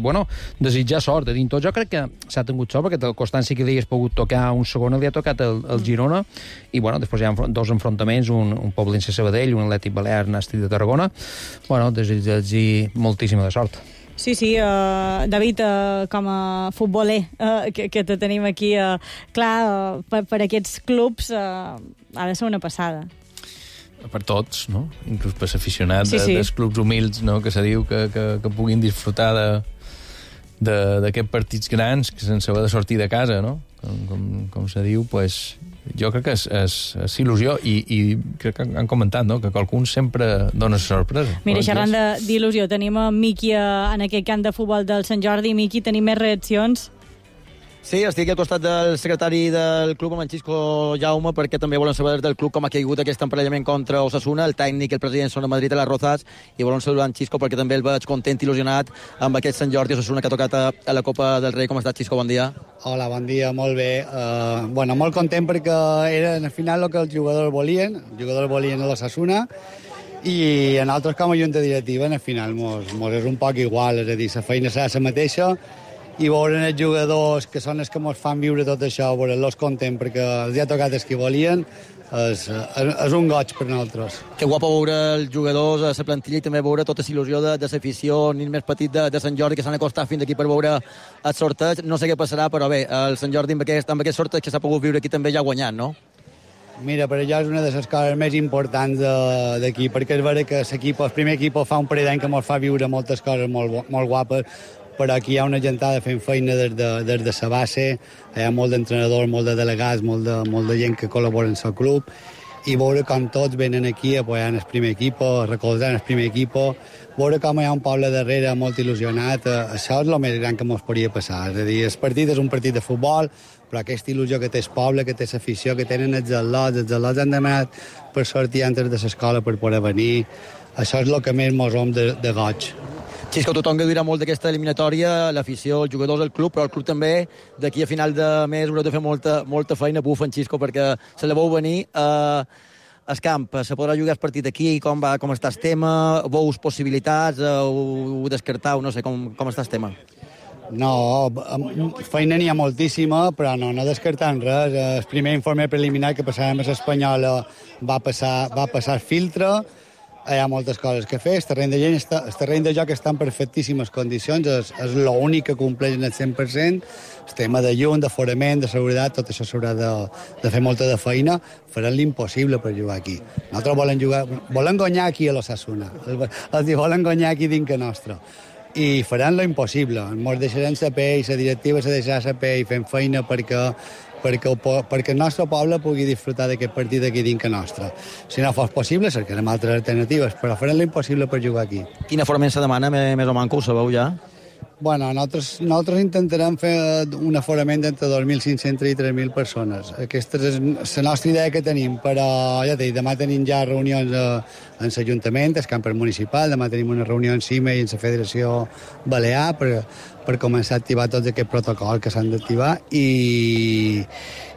desitjar sort a dins tot. Jo crec que s'ha tingut sort, perquè el Constància, que li hagués pogut tocar un segon, li ha tocat el Girona, i després hi ha 2 enfrontaments, un Poblense-Sabadell, un Atlètic Balears-Nàstic de Tarragona. Desitjar moltíssima de sort. Sí, David, com a futboler que te tenim aquí, clar, per aquests clubs ha de ser una passada. Per tots, no? Inclús per l'aficionat dels clubs humils, no? Que se diu que puguin disfrutar d'aquests partits grans, que sense haver de sortir de casa, no? com se diu, pues, jo crec que és il·lusió i crec que han comentat, no?, que qualcun sempre dona sorpresa. Mira, xerrant d'il·lusió, tenim a Miqui en aquest camp de futbol del Sant Jordi. Miqui, tenim més reaccions? Sí, estic al costat del secretari del club, amb en Xisco Jaume, perquè també volen saber del club com ha caigut aquest emparellament contra Osasuna. El tècnic i el president són a Madrid a les Rozas, i volen saludar en Xisco perquè també el veig content, il·lusionat amb aquest Sant Jordi Osasuna que ha tocat a la Copa del Rei. Com estàs, Xisco? Bon dia. Hola, bon dia, molt bé. Molt content perquè era al final el que els jugadors volien. Els jugadors volien a l'Osasuna, i a nosaltres com a junta directiva al final mos és un poc igual, és a dir, la feina serà la mateixa, i veure els jugadors que són els que ens fan viure tot això, veure-los contents perquè els ha tocat els que volien, és un goig per nosaltres. Que guapo veure els jugadors a la plantilla i també veure tota la il·lusió de l'afició, nin més petit de Sant Jordi, que s'han acostat fins aquí per veure el sorteig. No sé què passarà, però bé, el Sant Jordi amb aquest sorteig que s'ha pogut viure aquí també ja ha guanyat, no? Mira, per allò és una de les coses més importants d'aquí, perquè és vera que el primer equip fa un parell d'any que ens fa viure moltes coses molt guapes, però aquí hi ha una gentada fent feina des de la base, hi ha molt d'entrenadors, molt de delegats, molt de gent que col·labora en el club, i veure com tots venen aquí apoyant el primer equip, recolzant el primer equip, veure com hi ha un poble darrere molt il·lusionat, això és el més gran que ens podria passar. És a dir, el partit és un partit de futbol, però aquesta il·lusió que té el poble, que té l'afició, que tenen els atlots han demanat per sortir antes de l'escola per poder venir, això és el que més mos som de goig. Xisco, tothom que dirà molt d'aquesta eliminatòria, l'afició, els jugadors del club, però el club també, d'aquí a final de mes haureu de fer molta feina, bufen, Xisco, perquè se la veu venir al camp. Se podrà jugar el partit aquí, com està el tema, veus possibilitats, ho descartau, no sé, com està el tema? No, feina n'hi ha moltíssima, però no descartant res. El primer informe preliminar que passàvem a l'Espanyola va passar filtre, hi ha moltes coses que fer, el terreny de joc està en perfectíssimes condicions, és l'únic que compleix en el 100%, el tema de llum, d'aforament, de seguretat, tot això s'haurà de fer molta de feina, faran l'impossible per jugar aquí. Nosaltres volen guanyar aquí a l'Osasuna, volen guanyar aquí dintre nostre, i faran l'impossible, ens deixaran saber, i la directiva se deixarà saber i fent feina perquè el nostre poble pugui disfrutar d'aquest partit aquí dintre nostre. Si no fos possible, cercarem altres alternatives, però farem l'impossible per jugar aquí. Quina forment se demana, més o manco, ho sabeu ja? Bueno, nosaltres intentarem fer un aforament d'entre 2.500 i 3.000 persones. Aquesta és la nostra idea que tenim, però ja t'he dit, demà tenim ja reunions en l'Ajuntament, el campus municipal, demà tenim una reunió en CIME i en la Federació Balear per començar a activar tots aquests protocols que s'han d'activar, i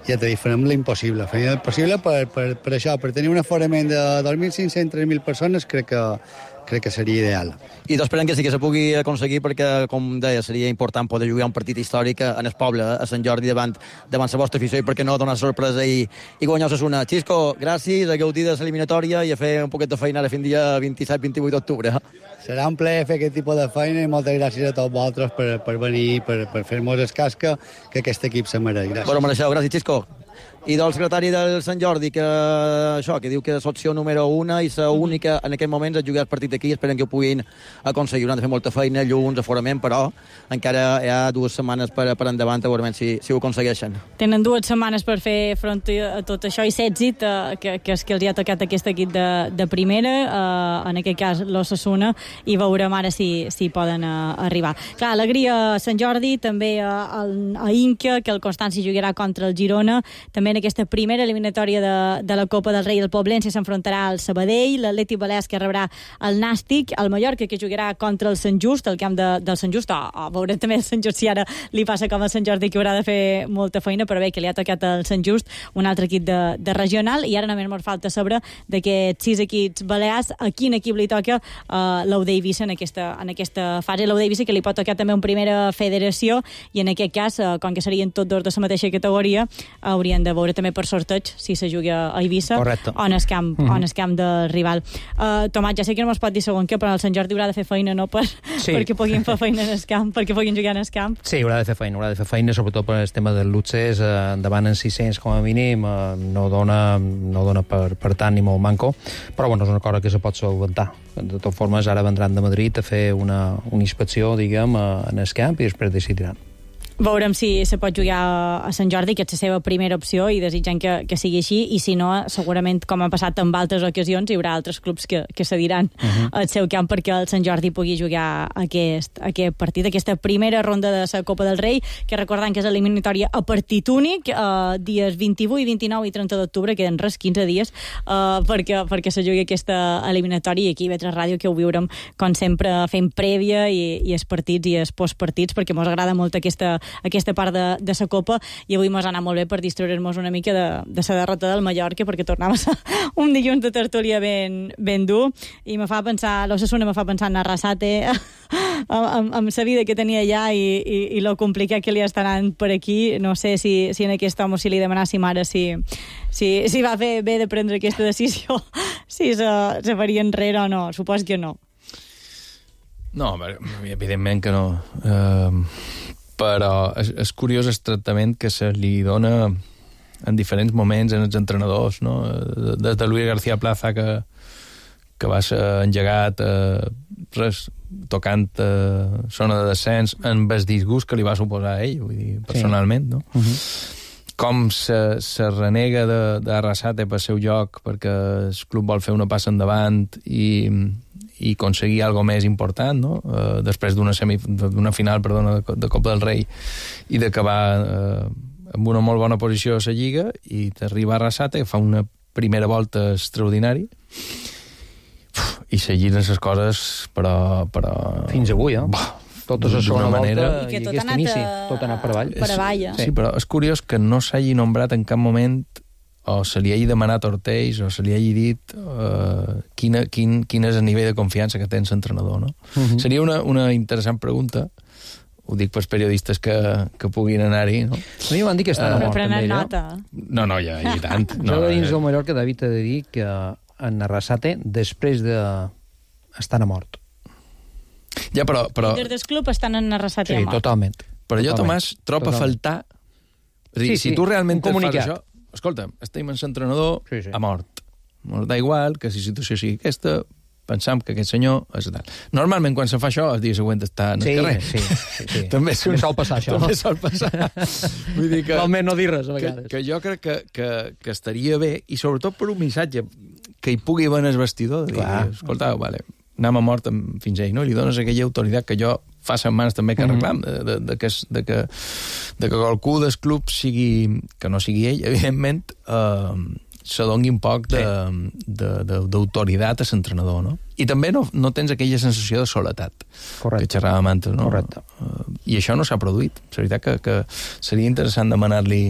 ja t'he dit, farem l'impossible. Farem l'impossible per això, per tenir un aforament de 2.500 i 3.000 persones, crec que seria ideal. I esperem que sí que se pugui aconseguir perquè, com deia, seria important poder jugar un partit històric en el poble, a Sant Jordi, davant la vostra afició, i per què no donar sorpresa i guanyar Osasuna. Xisco, gràcies, a gaudir de l'eliminatòria i a fer un poquet de feina ara fins dia 27-28 d'octubre. Serà un plaer fer aquest tipus de feina i moltes gràcies a tots vosaltres per venir, per fer-nos el cas que aquest equip se mereix. Gràcies. Bueno, mereixeu, gràcies, Xisco. I del secretari del Sant Jordi, que diu que és l'opció número 1 i la única en aquest moment és jugar el partit aquí. Esperen que ho puguin aconseguir. Hauran de fer molta feina, llums, aforament, però encara hi ha 2 setmanes per endavant, a veure si ho aconsegueixen. Tenen 2 setmanes per fer front a tot això i l'èxit que és que els hi ha tocat aquest equip de primera, en aquest cas l'Osasuna, i veurem ara si poden arribar. Clar, alegria a Sant Jordi, també a Inca, que el Constanci jugarà contra el Girona, també en aquesta primera eliminatòria de la Copa del Rei. El Poblense s'enfrontarà al Sabadell, l'Atlètic Balears que rebrà el Nàstic, el Mallorca que jugarà contra el Sant Just, el camp del Sant Just, veurem també el Sant Just si ara li passa com al Sant Jordi, que haurà de fer molta feina, però bé, que li ha tocat el Sant Just, un altre equip de regional, i ara només ens falta saber d'aquests 6 equips balears a quin equip li toca l'Eude Eivissa en aquesta fase. L'Eude Eivissa que li pot tocar també en primera federació, i en aquest cas, com que serien tots 2 de la mateixa categoria, haurien de veure també per sorteig si se juga a Eivissa. Correcte. O en el camp del rival. Tomàs, ja sé que no es pot dir segon què, però el Sant Jordi haurà de fer feina, no? Perquè puguin fer feina en el camp, perquè puguin jugar en el camp. Sí, haurà de fer feina, sobretot per el tema del Lutzes, endavant en 600 com a mínim, no dona per tant ni molt manco, però bueno, és una cosa que se pot solventar. De totes formes, ara vendran de Madrid a fer una inspecció, diguem, en el camp, i després decidiran. Veurem si se pot jugar a Sant Jordi, que és la seva primera opció, i desitjant que sigui així, i si no, segurament, com ha passat en altres ocasions, hi haurà altres clubs que cediran al seu camp perquè el Sant Jordi pugui jugar aquest partit, aquesta primera ronda de la Copa del Rei, que recordant que és eliminatòria a partit únic, dies 28, 29 i 30 d'octubre, queden res, 15 dies, perquè se jugui aquesta eliminatòria, i aquí a IB3 Ràdio que ho viurem, com sempre, fent prèvia i els partits i els postpartits, perquè mos agrada molt aquesta part de la Copa, i avui mos ha anat molt bé per distreure'ns una mica de la derrota del Mallorca, perquè tornava a ser un dilluns de tertúlia ben dur, i me fa pensar, l'Osasuna me fa pensar en Arrasate, amb la vida que tenia allà i lo complicat que li està anant per aquí. No sé si en aquest home si li demanàssim ara si va fer bé de prendre aquesta decisió, si se faria enrere o no. Supos que no. No, evidentment que no. Però és curiós el tractament que se li dona en diferents moments en els entrenadors, no? Des de Luis García Plaza, que va ser engegat tocant zona de descens amb el disgust que li va suposar a ell, vull dir, personalment, no? Com se renega d'Arrasate pel seu joc perquè el club vol fer una passa endavant i aconseguir algo més important, no? Després d'una final de Copa del Rei, i d'acabar amb una molt bona posició a la Lliga, i d'arribar a Arrasate, que fa una primera volta extraordinari, i seguint les coses, però... Fins avui, totes a segona volta i aquest inici, tot ha anat per avall. Per avall, Sí, però és curiós que no s'hagi nombrat en cap moment, o se li hagi demanat a Ortells, o se li hagi dit quin és el nivell de confiança que té l'entrenador, no? Seria una interessant pregunta, ho dic pels periodistes que puguin anar-hi, no? A mi m'han dit que està mort, també, nota. No, ja, i tant. Jo dins del Mallorca, David, he de dir que en Arrasate, després estan a mort. Ja, però... Des del club estan en Arrasate a mort. Sí, totalment. Però jo, Tomàs, trobo a faltar... És a dir, si tu realment fas això... Escolta, estem en l'entrenador a mort. Ens da igual que si la situació sigui aquesta, pensam que aquest senyor és tal. Normalment, quan se fa això, el dia següent està en el carrer. Sí. També sol passar, això. També sol passar. Vull dir que... Almenys no dir res, a vegades. Que jo crec que estaria bé, i sobretot per un missatge que hi pugui haver en el vestidor, de dir, escolta, vale, anem a mort fins ell, no? I li dones aquella autoritat que jo fa setmanes també que reclam, de que qualcú del club sigui, que no sigui ell, evidentment, se doni un poc d'autoritat a l'entrenador, no? I també no tens aquella sensació de soledat. Correcte. Que xerràvem antes, no? Correcte. I això no s'ha produït. La veritat que seria interessant demanar-li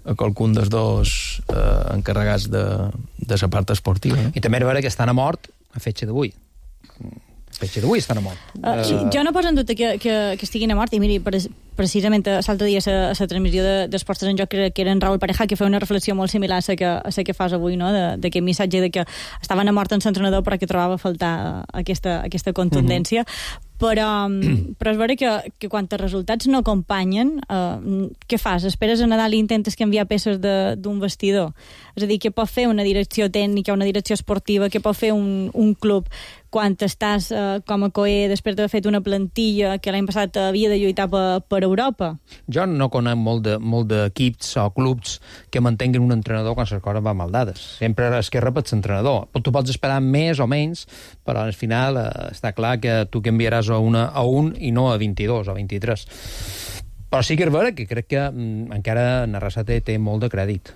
a qualcun dels dos encarregats de la part esportiva. No? I també és vera que estan a mort a fetge d'avui. Fetge d'avui estan a mort. Jo no poso en dubte que estiguin a mort, i miri, precisament l'altre dia a la transmissió d'Esports en Joc, que era en Raúl Pareja, que feia una reflexió molt similar a la que fas avui, no? D'aquest missatge de que estaven a mort en l'entrenador però que trobava a faltar aquesta contundència. Però és vera que quan els resultats no acompanyen, què fas? Esperes a Nadal i intentes canviar peces d'un vestidor? És a dir, què pot fer una direcció tècnica, una direcció esportiva, què pot fer un club quan estàs com a COE després d'haver fet una plantilla que l'any passat havia de lluitar per Europa? Jo no conec molt d'equips o clubs que mantenguin un entrenador quan les coses van mal dades. Sempre es que repets l'entrenador. Tu pots esperar més o menys, però al final està clar que tu canviaràs a un i no a 22 o 23. Però sí que és vera que crec que encara Arrasate té molt de crèdit.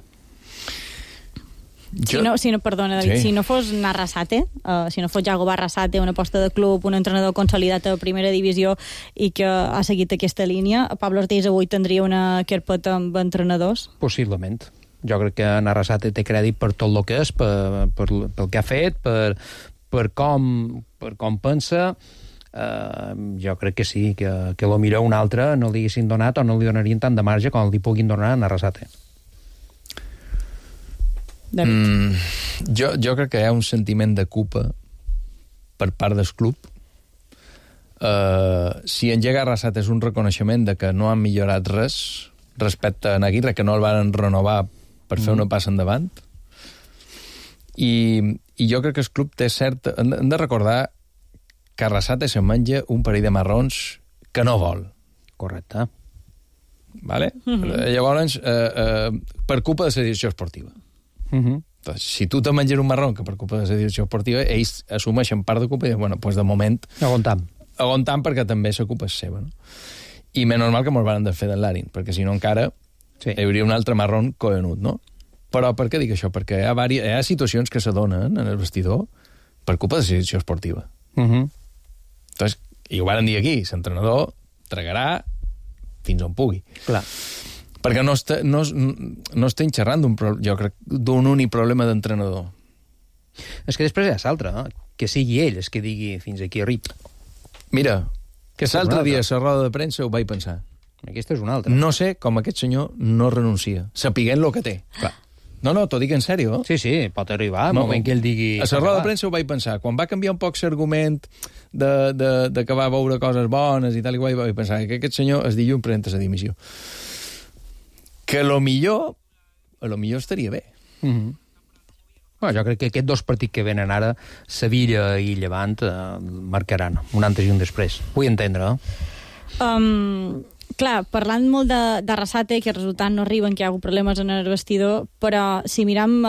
Perdona, David, si no fos Arrasate, si no fos Jagoba Arrasate, una aposta de club, un entrenador consolidat a primera divisió i que ha seguit aquesta línia, Pablo Ortiz avui tindria una carpeta amb entrenadors? Possiblement. Jo crec que Arrasate té crèdit per tot el que és, pel que ha fet, per com pensa. Jo crec que sí, que lo millor un altre no li haguessin donat o no li donarien tant de marge com li puguin donar a Arrasate. Jo crec que hi ha un sentiment de culpa per part del club. Si engega Arrasate és un reconeixement de que no han millorat res respecte a Aguirre, que no el van renovar per fer una passa endavant, i jo crec que el club té cert... Hem de recordar que Arrasate se menja un parell de marrons que no vol. Correcte. Vale? Llavors, per culpa de la direcció esportiva. Entonces, si tu te menges un marrón que per culpa de la direcció esportiva, ells assumeixen part de culpa i diuen, bueno, pues de moment... Aguantam perquè també la culpa és seva, no? I menys normal que mos van de fer de l'Arin, perquè si no encara hi hauria un altre marrón coenut, no? Però per què dic això? Perquè hi ha situacions que s'adonen en el vestidor per culpa de la direcció esportiva. Entonces, i ho van dir aquí, l'entrenador tragarà fins on pugui. Clar. Perquè no estem xerrant jo crec, d'un únic problema d'entrenador. És que després hi ha l'altre, que sigui ell el que digui fins aquí arrib. Mira, que l'altre dia a la roda de premsa ho vaig pensar. Aquesta és una altra. No sé com aquest senyor no renuncia, sapiguent el que té. Clar. No, t'ho dic en sèrio. Sí, pot arribar, el moment que ell digui... A la roda de premsa ho vaig pensar. Quan va canviar un poc l'argument de que va veure coses bones i tal i qual, vaig pensar que aquest senyor es dilluns presenta la dimissió. Que a lo millor estaria bé. Bueno, jo crec que aquests dos partits que venen ara, Sevilla i Llevant, marcaran un antes i un després. Vull entendre, Clar, parlant molt de Arrasate, que el resultat no arriben, que hi ha hagut problemes en el vestidor, però si miram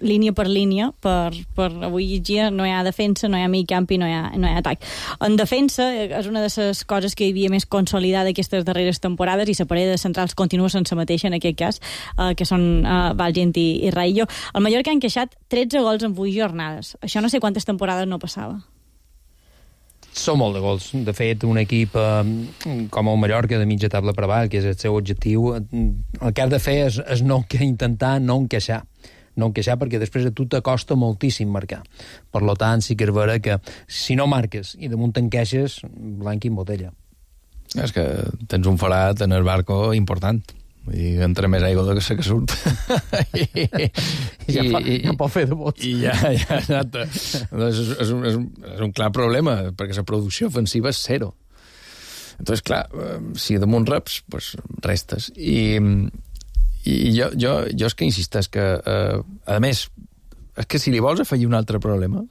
línia per línia, per avui dia no hi ha defensa, no hi ha mig camp i no hi ha atac. En defensa és una de les coses que hi havia més consolidada aquestes darreres temporades i la parella de centrals continua sense mateixa en aquest cas, que són Valgent i Raillo. El Mallorca ha encaixat 13 gols en 8 jornades. Això no sé quantes temporades no passava. Són molt de gols. De fet, un equip com el Mallorca de mitja taula per avall, que és el seu objectiu, el que has de fer és intentar no encaixar. No encaixar perquè després a tu t'acosta moltíssim marcar. Per tant, sí que és vera que si no marques i damunt t'encaixes, blanc i en botella. És que tens un forat en el barco important. I entra més aigua de que surt. Ja pot fer de bots. I ja, exacte. És un clar problema, perquè la producció ofensiva és zero. Entonces, clar, si damunt reps, pues restes. I jo és que insisteix que, a més, és que si li vols afegir un altre problema,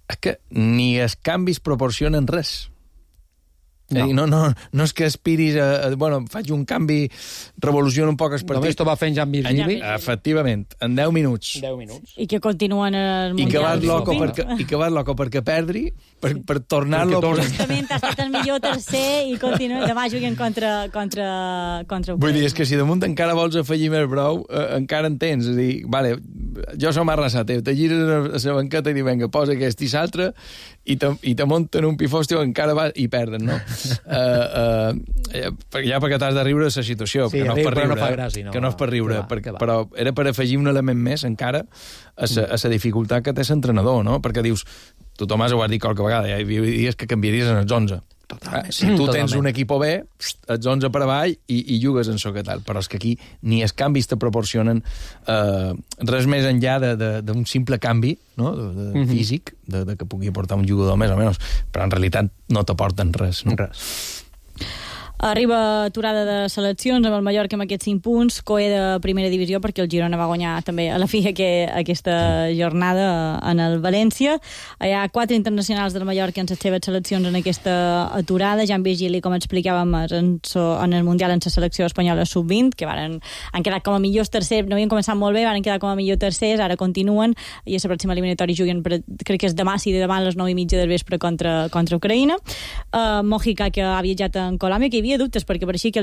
és que ni els canvis proporcionen res. No és que aspiris bueno, faig un canvi, revoluciono un poc el partit. Només t'ho va fent Jan Virgili. Efectivament, en 10 minuts. I que continuen el Mundial. I que vas loco perquè perdri, per tornar-lo... Justament ha estat el millor tercer i continua. Demà juguen contra Vull dir, és que si damunt encara vols afegir més brou, encara en tens. És a dir, vale, jo som Arrasate, te gires a la banqueta i dius, venga, posa aquest i l'altre, i te munten un pifòstiu, encara va i perden, no? Perquè t'has de riure de la situació, sí, que no és per riure, no fa gràcia, que no és per riure, però era per afegir un element més encara a la dificultat que té l'entrenador, no? Perquè dius, tu, Tomàs, ho has dit qualque vegada, hi havia dies que canviaries en els 11. Si tu tens un equip B, ets 11 per avall i jugues en soc tal, però és que aquí ni els canvis te proporcionen res més enllà d'un simple canvi, no? Físic, de que pugui aportar un jugador més o menys, però en realitat no t'aporten res. No? Res. Arriba aturada de seleccions amb el Mallorca amb aquests 5 punts, coe de primera divisió perquè el Girona va guanyar també a la fi aquesta jornada en el València. Hi ha 4 internacionals del Mallorca en les seves seleccions en aquesta aturada. Jan Virgili, com explicàvem, en el Mundial en la selecció espanyola sub-20, que han quedat com a millors tercers, no havien començat molt bé, van quedar com a millors tercers, ara continuen, i a la pròxima eliminatòria juguen, crec que és demà, sí, demà a les 9:30 del vespre contra Ucraïna. Mojica, que ha viatjat en Colòmbia, que hi havia dubtes perquè pareixia que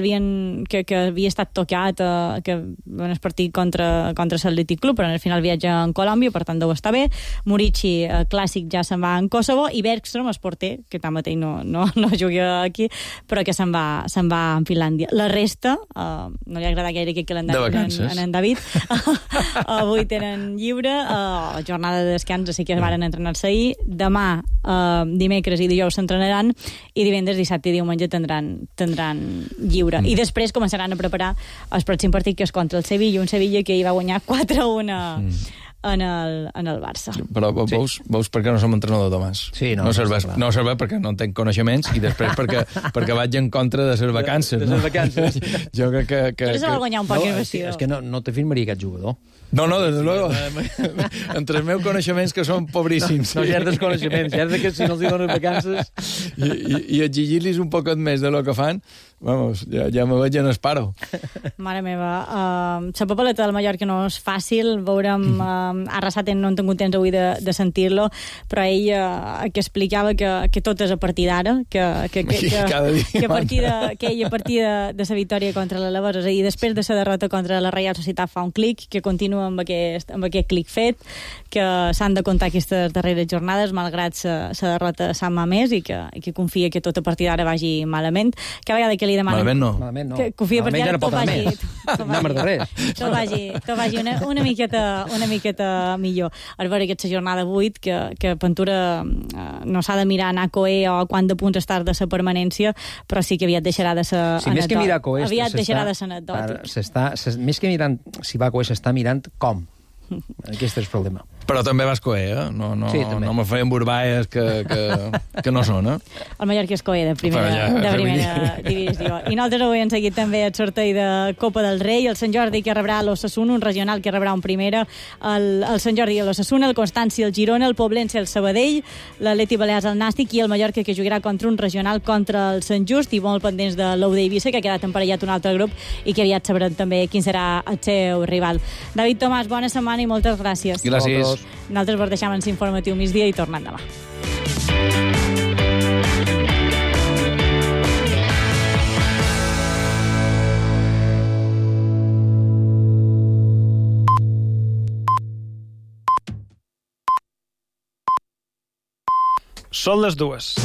havia estat tocat que van partir contra l'Atlètic Club, però al final viatja en Colòmbia, per tant deu estar bé. Murici, clàssic, ja se'n va en Kosovo, i Bergström, el porter, que tanmateix no juga aquí, però que se'n va en Finlàndia. La resta, no li agrada gaire aquest calendari en David. Avui tenen lliure, jornada de descans, així que van entrenar-se ahir. Demà, dimecres i dijous s'entrenaran, i divendres, dissabte i diumenge tindran lliure. I després començaran a preparar el pròxim partit, que és contra el Sevilla, un Sevilla que hi va guanyar 4-1 en el Barça. Però veus per què no som entrenador, Tomàs? Sí, no serveix perquè no tenc coneixements i després perquè vaig en contra de les vacances. Jo crec que... Però se va guanyar un poc el vestidor. És que no te firmaria aquest jugador. No, desde luego. Entre els meus coneixements, que són pobríssims. No, ja és dels coneixements, ja és que si no els donen vacances... I exigir-los un poquet més de lo que fan, Vamos, ja me veig en el paro. Mare meva, la papeleta del Mallorca no és fàcil, veurem, Arrasate no hem tingut temps avui de sentir-lo, però ell que explicava que tot és a partir d'ara, que a partir de la victòria contra l'Alavés, és a dir, després de la derrota contra la Reial Societat fa un clic, que continua amb aquest clic fet, que s'han de comptar aquestes darreres jornades, malgrat la derrota Sant Mamés, i que confia que tot a partir d'ara vagi malament. Cada vegada que li demanen... Malament no. Que confia perquè ara tot vagi... Tot vagi una miqueta millor. A veure, aquesta jornada 8, que Ventura no s'ha de mirar anar a Coe o quant de punts estar de la permanència, però sí que aviat deixarà de ser anecdòtic. Més que mirar Coe... Aviat deixarà de ser anecdòtic. Més que mirant si va a Coe, s'està mirant com. Aquest és el problema. Però també vas coer, eh? No me feien burbaes que no són, eh? El Mallorca és coer de primera divisió. I nosaltres avui hem seguit també el sorteig de Copa del Rei, el Sant Jordi que rebrà l'Osasuna, un regional que rebrà un primera, el Sant Jordi i l'Osasuna, el Constància, el Girona, el Poblense, el Sabadell, l'Atleti Balears, el Nàstic, i el Mallorca que jugarà contra un regional contra el Sant Just, i molt pendents de l'Ou d'Eivissa, que ha quedat emparellat un altre grup i que aviat sabrem també quin serà el seu rival. David Tomàs, bona setmana i moltes gràcies. Gràcies. Nosaltres vos deixem en l'informatiu migdia i tornem demà. Són les 2.